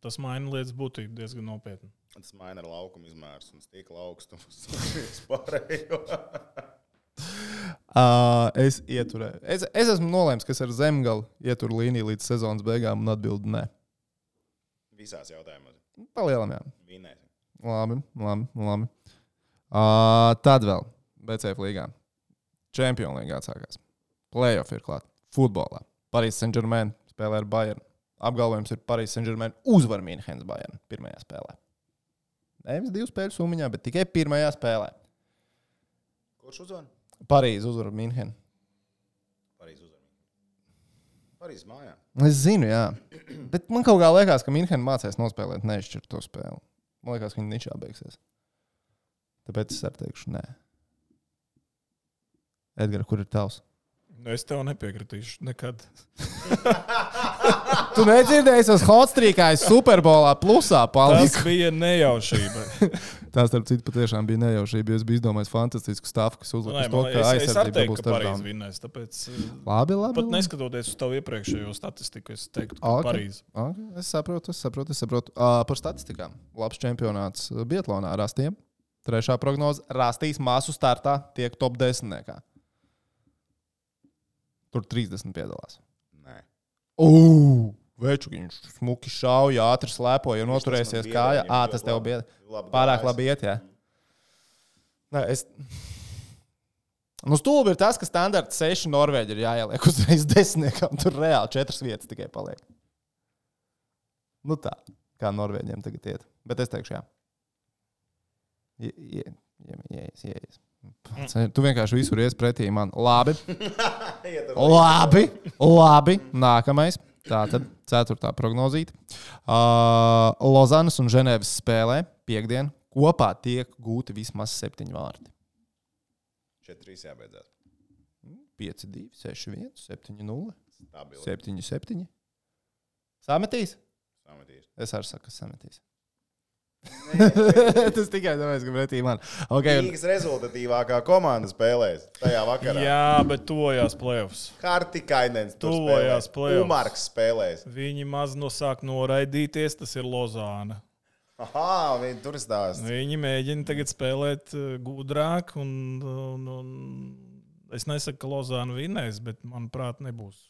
Tas maina lietas būtību diezgan nopietni.
Tas maina ar laukumu izmērs un stikla augstumus. Vispārējo.
Es ieturēju. Es esmu nolēms, kas ar Zemgali ietur līniju līdz sezonas beigām un atbildi nē.
Visās jautājumos.
Palielam, jā.
Vinēsim.
Labi. Tad vēl BCF līgā. Champions līgā atsākās. Playoff ir klāt. Futbolā. Paris Saint-Germain spēlē ar Bayern. Apgalvojums ir Paris Saint-Germain uzvar Münchenes Bayern pirmajā spēlē. Nevis 2 spēļu summiņā, bet tikai pirmajā spēlē.
Kurš uzvar?
Parīzi uzvar Müncheni.
Parīzes mājā.
Es zinu, jā. Bet man kaut kā liekas, ka Müncheni mācēs nospēlēt neizšķirt to spēli. Man liekas, ka viņi ničā beigsies. Tāpēc es arī teikšu nē. Edgar, kur ir tavs?
Es tev nepiekritīšu nekad.
Tu nedzirdēji, es hotstrīkāju Superbolā plusā paliku.
Tas bija nejaušība.
Tā, starp citu, patiešām bija nejaušība, jo es biju izdomājis fantastisku stāvu, kas uzlikas to, ka aizsardzība būs
Parīzi vinnēs, tāpēc
labi.
Pat neskatoties uz tavu iepriekšējo statistiku, es teiktu, ka Parīzi.
Okay. Es saprotu. Par statistikām. Labs čempionāts biatlonā Rastiem. 3. prognoze Rastīs māsu startā tiek top 10. Tur 30 piedalās.
Nē.
Veču, viņš smuki šauja, ātri slēpoja, ja noturēsies kājā. Tas tev bija pārāk labi iet, jā. Nē, stulbi ir tas, ka standarts 6 Norvēģi ir jāieliek uzreiz 10. Tur reāli 4 vietas tikai paliek. Tā, kā Norvēģiem tagad iet. Bet es teikšu, jā. Ieies. Tu vienkārši visur ies pretī man. Labi. Nākamais. Tātad 4. prognozīte. Lozanas un Ženēvas spēlē piekdien kopā tiek gūti vismaz 7 vārti.
4-3 jābeidzās.
5-2, 6-1, 7-0,
Stabili.
7-7. Sametīs?
Sametīs.
Es arī saku, ka sametīs. Tas tikai tāpēc, ka pretī man. Okay.
Līgas rezultatīvākā komanda spēlēs tajā vakarā.
Jā, bet tuvojās playoffs.
Hartikainens tur
Tuvojās
spēlēs.
playoffs.
Umarks spēlēs.
Viņi maz nosāk noraidīties, tas ir Lozāna.
Aha, viņi tur stāst.
Viņi mēģina tagad spēlēt gudrāk, un es nesaku, ka Lozāna vinnēs, bet, manuprāt, nebūs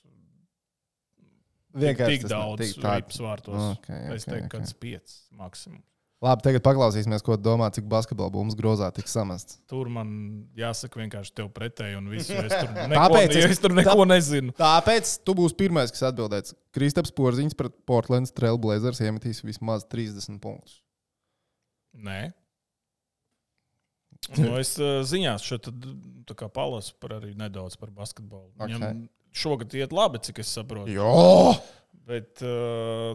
tik daudz rips vārtos. Es teiktu, kāds 5 maksimums.
Labi, tagad paklausīsimies, ko domā, cik basketbola bumbas grozā tiks samests.
Tur man jāsaka vienkārši tev pretēji un visu. Es tur neko nezinu.
Tāpēc tu būsi pirmais, kas atbildēs. Kristaps Porziņš pret Portlands Trail Blazers iemetīs vismaz 30 punktus.
Nē. Es ziņās šeit palasu arī nedaudz par basketbolu. Viņam šogad iet labi, cik es saprotu.
Jo!
Bet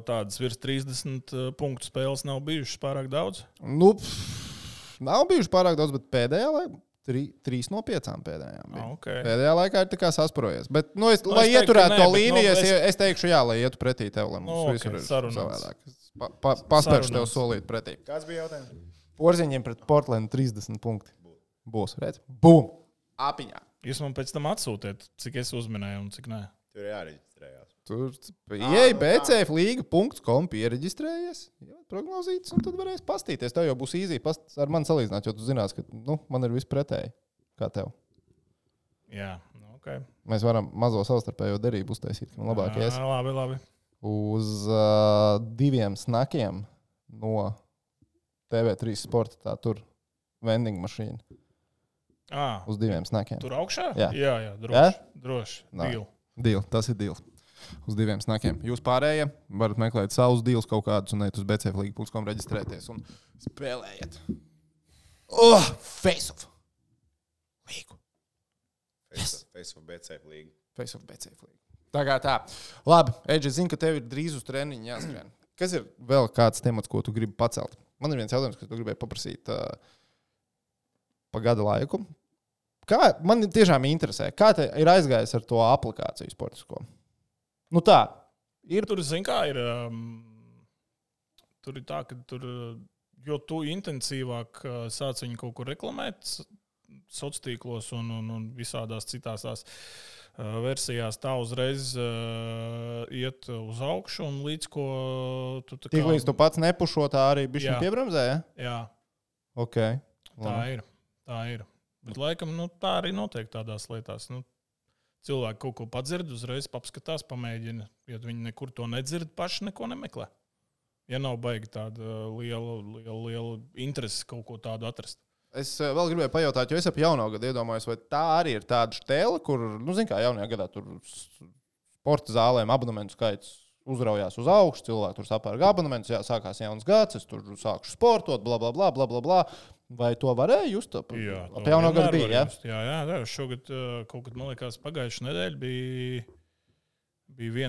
tādas virs 30 punktu spēles nav bijušas pārāk daudz.
Nav bijušas pārāk daudz, bet pēdējā laikā 3 no 5 pēdējām.
Okay.
Pēdējā laikā ir tā kā sasprojies. Bet, lai ieturētu to līniju, es teikšu, jā, lai ietu pretī tev, lai mums visur ir savādāk. Paspēršu tev solīt pretī.
Kāds bija jautājums?
Porziņiem pret Portlandu 30 punkti. Būs, redz? Bum! Apiņā.
Jūs man pēc tam atsūtiet, cik es uzminēju un cik nē.
Tur jāreģistrējās.
Tur ieej bcfliga.com, piereģistrējies, prognozītas, un tad varēs pastīties. Tev jau būs īzī ar mani salīdzināt, jo tu zinās, ka man ir viss pretēji, kā tev.
Jā, Okay.
Mēs varam mazo savstarpējo derību uztaisīt, ka man labāk ies.
Labi.
Uz 2 snakiem no TV3 sporta, tā tur vending mašīna. Uz 2 snakiem.
Tur augšā?
Jā,
droši.
Deal, tas ir deal. Uz 2 snakiem. Jūs pārējie varat meklēt savus deals kaut kādus un iet uz bcflīga.com reģistrēties un spēlējiet. Face-off! Līgu.
Face-off BCFlīga.
Face-off BCFlīga. Tā. Labi, Edži, zinu, ka tev ir drīz uz treniņu jāskrien. Kas ir vēl kāds temats, ko tu gribi pacelt? Man ir viens jautājums, ko tu gribēji paprasīt pa gada laiku. Man tiešām interesē, kā te ir aizgājis ar to aplikāciju sportisko? Nu tā, ir.
Tur, zin kā, tur ir tā, ka jo tu intensīvāk sāc viņu kaut kur reklamēt sociālos tīklos un visādās citās tās versijās, tā uzreiz iet uz augšu un līdz ko tu tā kā...
Tiklīdz tu pats nepušo, tā arī bišķiņ piebremzē, ja?
Jā.
Ok.
Tā ir. Bet laikam, tā arī notiek tādās lietās. Cilvēki kaut ko padzird, uzreiz papskatās, pamēģina. Ja viņi nekur to nedzird, paši neko nemeklē. Ja nav baigi tāda liela interese kaut ko tādu atrast.
Es vēl gribēju pajautāt, jo es ap jauno gadu iedomājos, vai tā arī ir tāda štēle, kur, zin kā, jaunajā gadā tur sporta zālēm abonementu skaits uzraujās uz augšu, cilvēki tur sapērga abonementus, sākās jauns gads, es tur sākušu sportot, bla. Vai to varēja just?
Jā,
ap jauno gadu bija,
ja? Jā. Šogad kaut kad, man liekas, pagājušajā nedēļā bija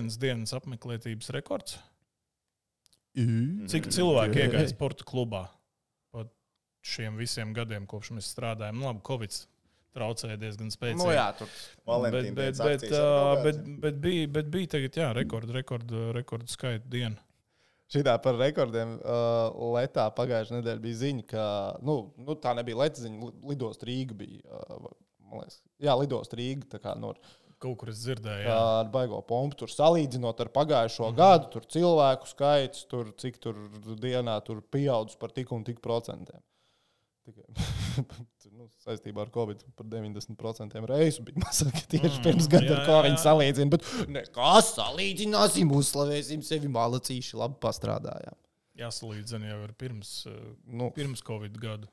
1 dienas apmeklētības rekords. Cik cilvēki iegāja sporta klubā pat šiem visiem gadiem, kopš mēs strādājam. Labi, Covid traucēja diezgan spēcīgi.
Jā, tur Valentīnas
bet bija tagad, rekordu skaita diena.
Šitā par rekordiem letā pagājušajā nedēļā bija ziņa, ka, tā nebija leta ziņa, Lidost Rīga bija, man liekas, Lidost Rīga, tā kā
kaut kur es dzirdēju,
ar baigo pompu, tur salīdzinot ar pagājušo gadu, tur cilvēku skaits, tur cik tur dienā tur pieaudzis par tik un tik procentiem. Saistībā ar Covid par 90% reisu bija mazāk tieši pirms gada, ar ko viņi salīdzina. Bet nekā salīdzināsim, uzslavēsim sevi malacīši, labi pastrādājām.
Jāsalīdzina jau ar pirms Covid gadu.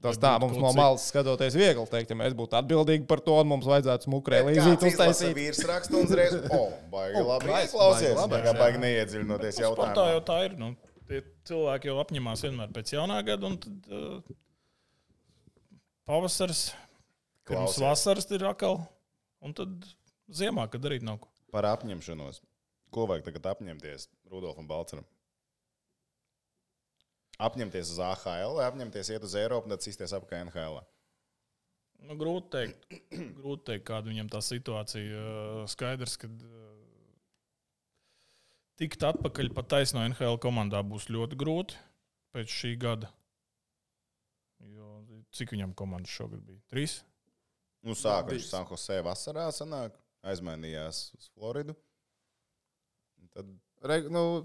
Tas tā, mums no malas skatoties viegli teikt, ja mēs būtu atbildīgi par to, un mums vajadzētu smukrē līdzīt uztaisīt.
Vīrs raksta un uzreiz, baigi labi ieklausies, nekā baigi neiedziļinoties jautājumā.
Sportā jau tā ir, tie cilvēki jau apņemās vienmēr pēc jaunā gada, un tad pavasars, pirms vasaras ir atkal, un tad ziemā, kad darīt nav ko.
Par apņemšanos. Ko vajag tagad apņemties Rudolfam Balceram? Apņemties uz AHL vai apņemties iet uz Eiropu un tad cīsties apkārt NHL?
Grūti teikt, kāda viņam tā situācija. Skaidrs, ka tikt atpakaļ pat taisno NHL komandā būs ļoti grūti pēc šī gada. Jo, cik viņam komandas šogad bija? 3?
Sāka viņš San Jose vasarā sanāk, aizmainījās uz Floridu. Tad,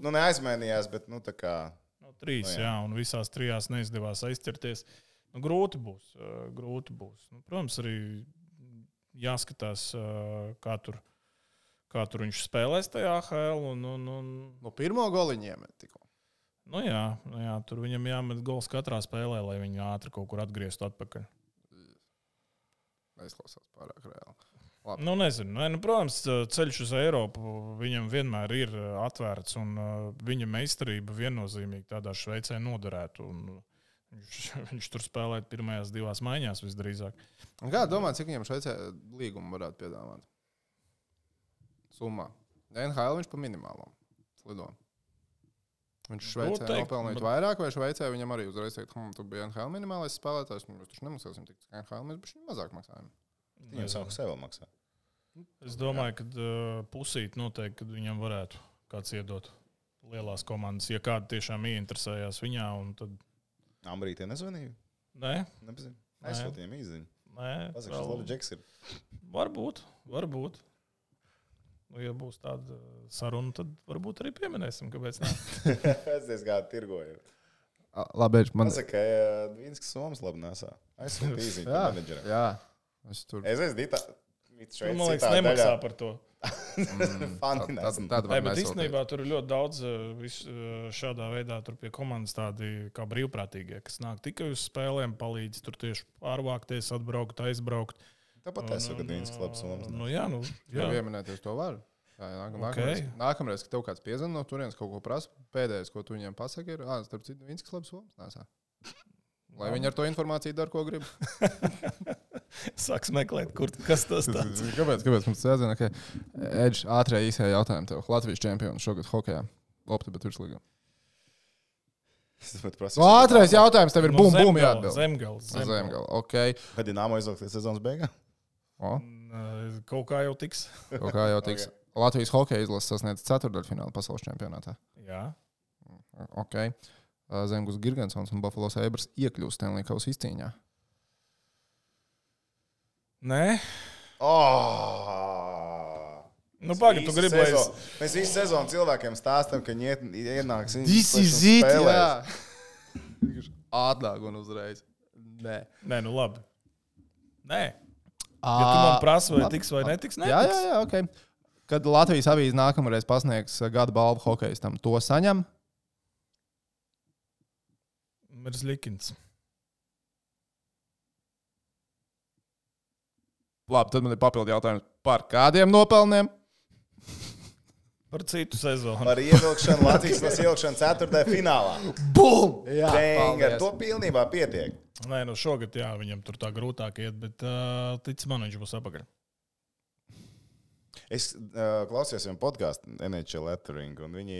neaizmainījās, bet tā kā...
3, un visās 3 neizdevās aizķerties. Grūti būs. Protams, arī jāskatās, kā tur viņš spēlēs tajā AHL.
No pirmo goliņu iemet tikko.
Jā, tur viņam jāmet gols katrā spēlē, lai viņi ātri kaut kur atgrieztu atpakaļ.
Neizklausās pārāk reāli.
Nezinu. Protams, ceļš uz Eiropu viņam vienmēr ir atvērts, un viņa meistarība viennozīmīgi tādā Šveicē noderētu. Viņš tur spēlēt pirmajās 2 maiņās visdrīzāk.
Un kā domā, cik viņam Šveicē līgumu varētu piedāvāt? Summā. NHL viņš pa minimālo lido. Viņš Šveicē nopelnīt vairāk, vai Šveicē viņam arī uzreiz teikt, tu biji NHL minimālais spēlētājs, mēs taču nemaksāsim tik NHL, mēs bišķi mazāk maksājam.
Viņam savu sev maksā.
Es domāju, ka pusīt noteikti, kad viņam varētu kāds iedot lielās komandas, ja kāda tiešām ieinteresējās viņā. Tad...
Ambrītē nezvanīja?
Nē.
Nepazinu. Aizsūtījām īziņu.
Nē.
Pasaka, šis labi džeks ir.
Varbūt. Ja būs tāda saruna, tad varbūt arī pieminēsim, kāpēc ne.
Es diezgan tirgoju.
Labi, man...
Pasaka, Dvīnskas Somas labi nesā. Aizsūtīt īziņu menedžeram.
Jā.
Es esmu
Man liekas, nemaksā par to.
Bet
īstenībā tur ir ļoti daudz šādā veidā pie komandas tādi kā brīvprātīgie, kas nāk tikai uz spēlēm, palīdz tur tieši pārvākties, atbraukt, aizbraukt.
Tāpat es esmu gadījums klubs.
Jā.
Pieminēties to var. Nākamreiz, kad tev kāds piezvan no turienes kaut ko prasa, pēdējais, ko tu viņiem pasaki, ir, starp citu, Vīnskas labs somas nesā. Lai viņi ar to informāciju dara, ko grib.
Sāks meklēt, kas tas tāds.
Kāpēc mums jāzina, ka Edž ātrē īsajā jautājumā tev Latvijas čempions šogad hokejā. Opti, bet virslīgā. Ātrais jautājums tev ir bum jāatbild.
Zemgala.
Ok.
Kad Dinamo izlaiks līdz sezonas beigām?
Kaut kā jau tiks.
Okay. Latvijas hokeja izlases sasniedz ceturtdaļfinālu pasaules čempionātā.
Jā.
Ok. Zemgus Girgensons un Buffalo Sabres iekļūst Stanley Kausa izcīņā.
Nē.
Pagaid, tu gribi, lai mēs visu sezonu cilvēkiem stāstam, ka viņi ienāks
spēlēs. Ātrāk un uzreiz. Nē,
labi. Nē. Ja tu man prasi, vai tiks vai netiks, netiks.
Jā, ok. Kad Latvijas avīze nākamreiz pasniegs gada balvu hokejistam, to saņem?
Merzlikins.
Labi, tad man ir papildu jautājums. Par kādiem nopelniem?
Par citu sezonu.
Par ievilkšanu Latvijas ievilkšanu ceturtajā finālā.
Bum!
Jā, ar to pilnībā pietiek.
Nē, šogad jā, viņam tur tā grūtāk iet, bet tic man, viņš būs apakaļ.
Es klausījos viņam podkāstu NHL Lettering, un viņi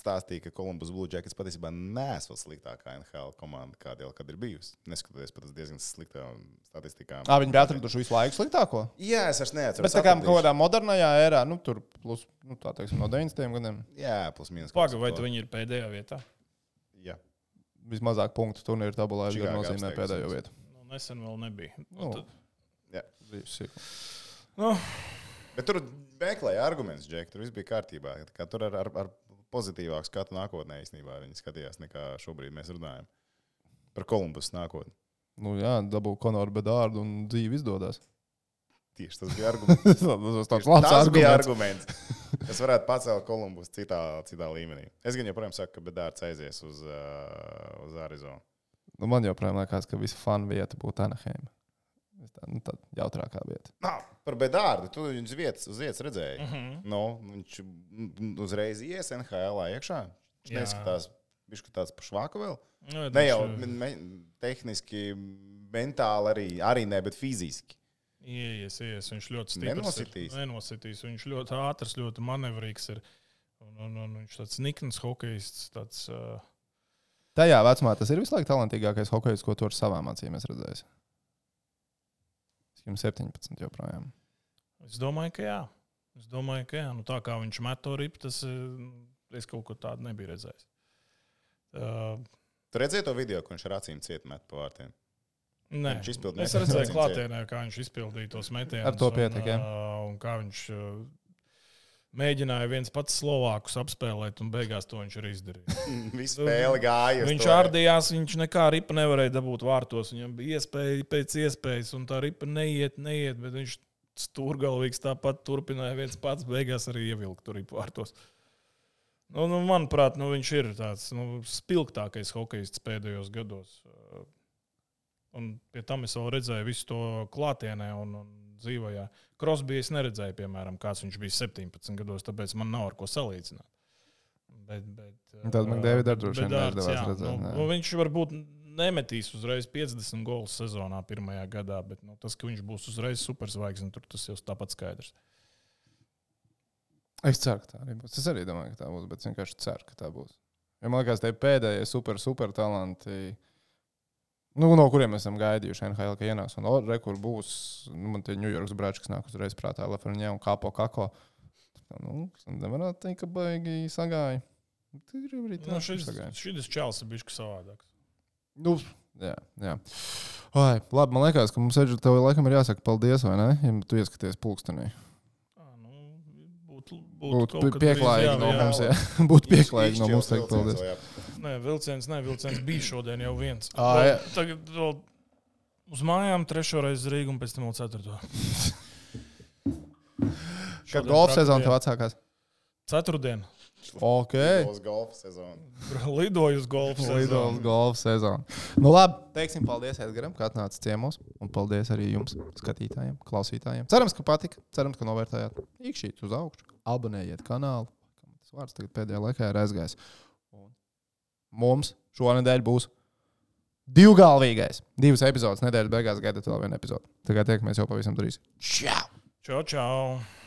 stāstīja, ka Columbus Blue Jackets patiesībā nesot sliktākā NHL komanda, kāda jau kad ir bijusi. Neskatoties pat uz diezgan sliktām statistikām.
Viņi bija atraduši visu laiku sliktāko?
Jā, es vairs neatceros.
Bet tā kā kaut kādā modernajā ērā, tur plus, tā teiksim, no 90. gadiem.
Jā, plus mīnus.
Paga, vai tu viņi ir pēdējā vietā?
Jā.
Vismazāk punktu turnīru tabulā Edgars nozīmē pēdējo vietu.
Nesen vēl nebija.
Jā.
Nu.
Bet tur meklēja argumentus, Džek, tur viss bija kārtībā. Kā tur ar pozitīvāku skatu nākotnē īstenībā viņi skatījās, nekā šobrīd mēs runājam. Par Columbus nākotni.
Jā, dabū Konoru Bedārdu un dzīvi izdodas.
Tieši tas bija arguments. Tas bija arguments, kas varētu pacelt Columbus citā līmenī. Es gan joprojām saku, ka Bedārds aizies uz Arizonu.
Man joprojām liekas, ka visa fanu vieta būtu Anaheim. Tā jautrākā vieta.
Par Bedārdu. Tu viņu uz vietas redzēji. Viņš uzreiz ies NHL iekšā. Viņš neskatās, viņš tāds pa švāku vēl. Ne jau tehniski, mentāli arī ne, bet fiziski.
Ies. Viņš ļoti stiprs. Nenositīs. Viņš ļoti ātrs, ļoti manevrīgs ir. Un viņš tāds nikns hokejists.
Tajā vecumā tas ir visu laiku talantīgākais hokejists, ko tu ar savām acīm esi redzējis. Jums 17 joprojām.
Es domāju, ka jā. Tā kā viņš met to ripu, tas es kaut ko tādu nebiju redzējis.
Tu redzēji to video, ko viņš ar acīm ciet met pa vārtiem?
Nē. Es redzēju klātienē, kā viņš izpildīja tos metienus.
Ar to pietiek, jā.
Un kā viņš mēģināja viens pats Slovākus apspēlēt, un beigās to viņš arī izdarīja.
Visu spēli gāja.
Viņš ārdījās, viņš nekā ripa nevarēja dabūt vārtos. Viņam bija iespēja pēc iespējas, un tā ripa neiet, bet viņš stūrgalvīgs tāpat turpināja viens pats, beigās arī ievilkt tur ripu vārtos. Manuprāt, viņš ir tāds spilgtākais hokejists pēdējos gados. Un pie tam es vēl redzēju visu to klātienē un dzīvojā. Crosby es neredzēju, piemēram, kāds viņš bija 17 gados, tāpēc man nav ar ko salīdzināt.
Tad man Davids droši vien neizdevās redzēt.
Viņš varbūt nemetīs uzreiz 50 golus sezonā pirmajā gadā, bet tas, ka viņš būs uzreiz superzvaigzne, tas jau tāpat skaidrs.
Es ceru, ka tā arī būs. Es arī domāju, ka tā būs, bet vienkārši ceru, ka tā būs. Ja man liekas, tie pēdējie super talanti, no kuriem esam gaidījuši NHL, ka ienāks. Un kur būs, man tie New Yorks brāči, kas nāk uzreiz prātā, Lafreniere un Kako. Nevarētu teikt, ka baigi sagāja.
Šis čels ir bišķi savādāks.
Jā. Labi, man liekas, ka mums tev laikam ir jāsaka paldies, vai ne? Ja tu ieskaties pulkstenī. Būtu pieklājīgi no mums, jā. Būtu pieklājīgi no mums teikt paldies.
Nē, vilciens bija šodien jau viens.
Jā.
Tagad vēl Uz mājām 3. reizi Rīgu un pēc tam vēl 4.
Kad golfa sezona tev atsākās?
4.
Uz golfa sezonu.
Lidoju uz golfa sezonu.
Golfa sezonu. Nu labi, teiksim paldies Edgaram, ka atnāca ciemos. Un paldies arī jums, skatītājiem, klausītājiem. Cerams, ka patika. Cerams, ka novērtējāt. Īkšķīt uz augšu. Abonējiet kanālu. Tas vārds tagad pēdējā laikā ir aizgājis. Un mums šonedēļ būs 2 galvīgais. 2 epizodes nedēļas beigās gaidat vēl vienu epizodu. Tagad tiekamies jau pavisam drīz. Čau!
Čau, čau!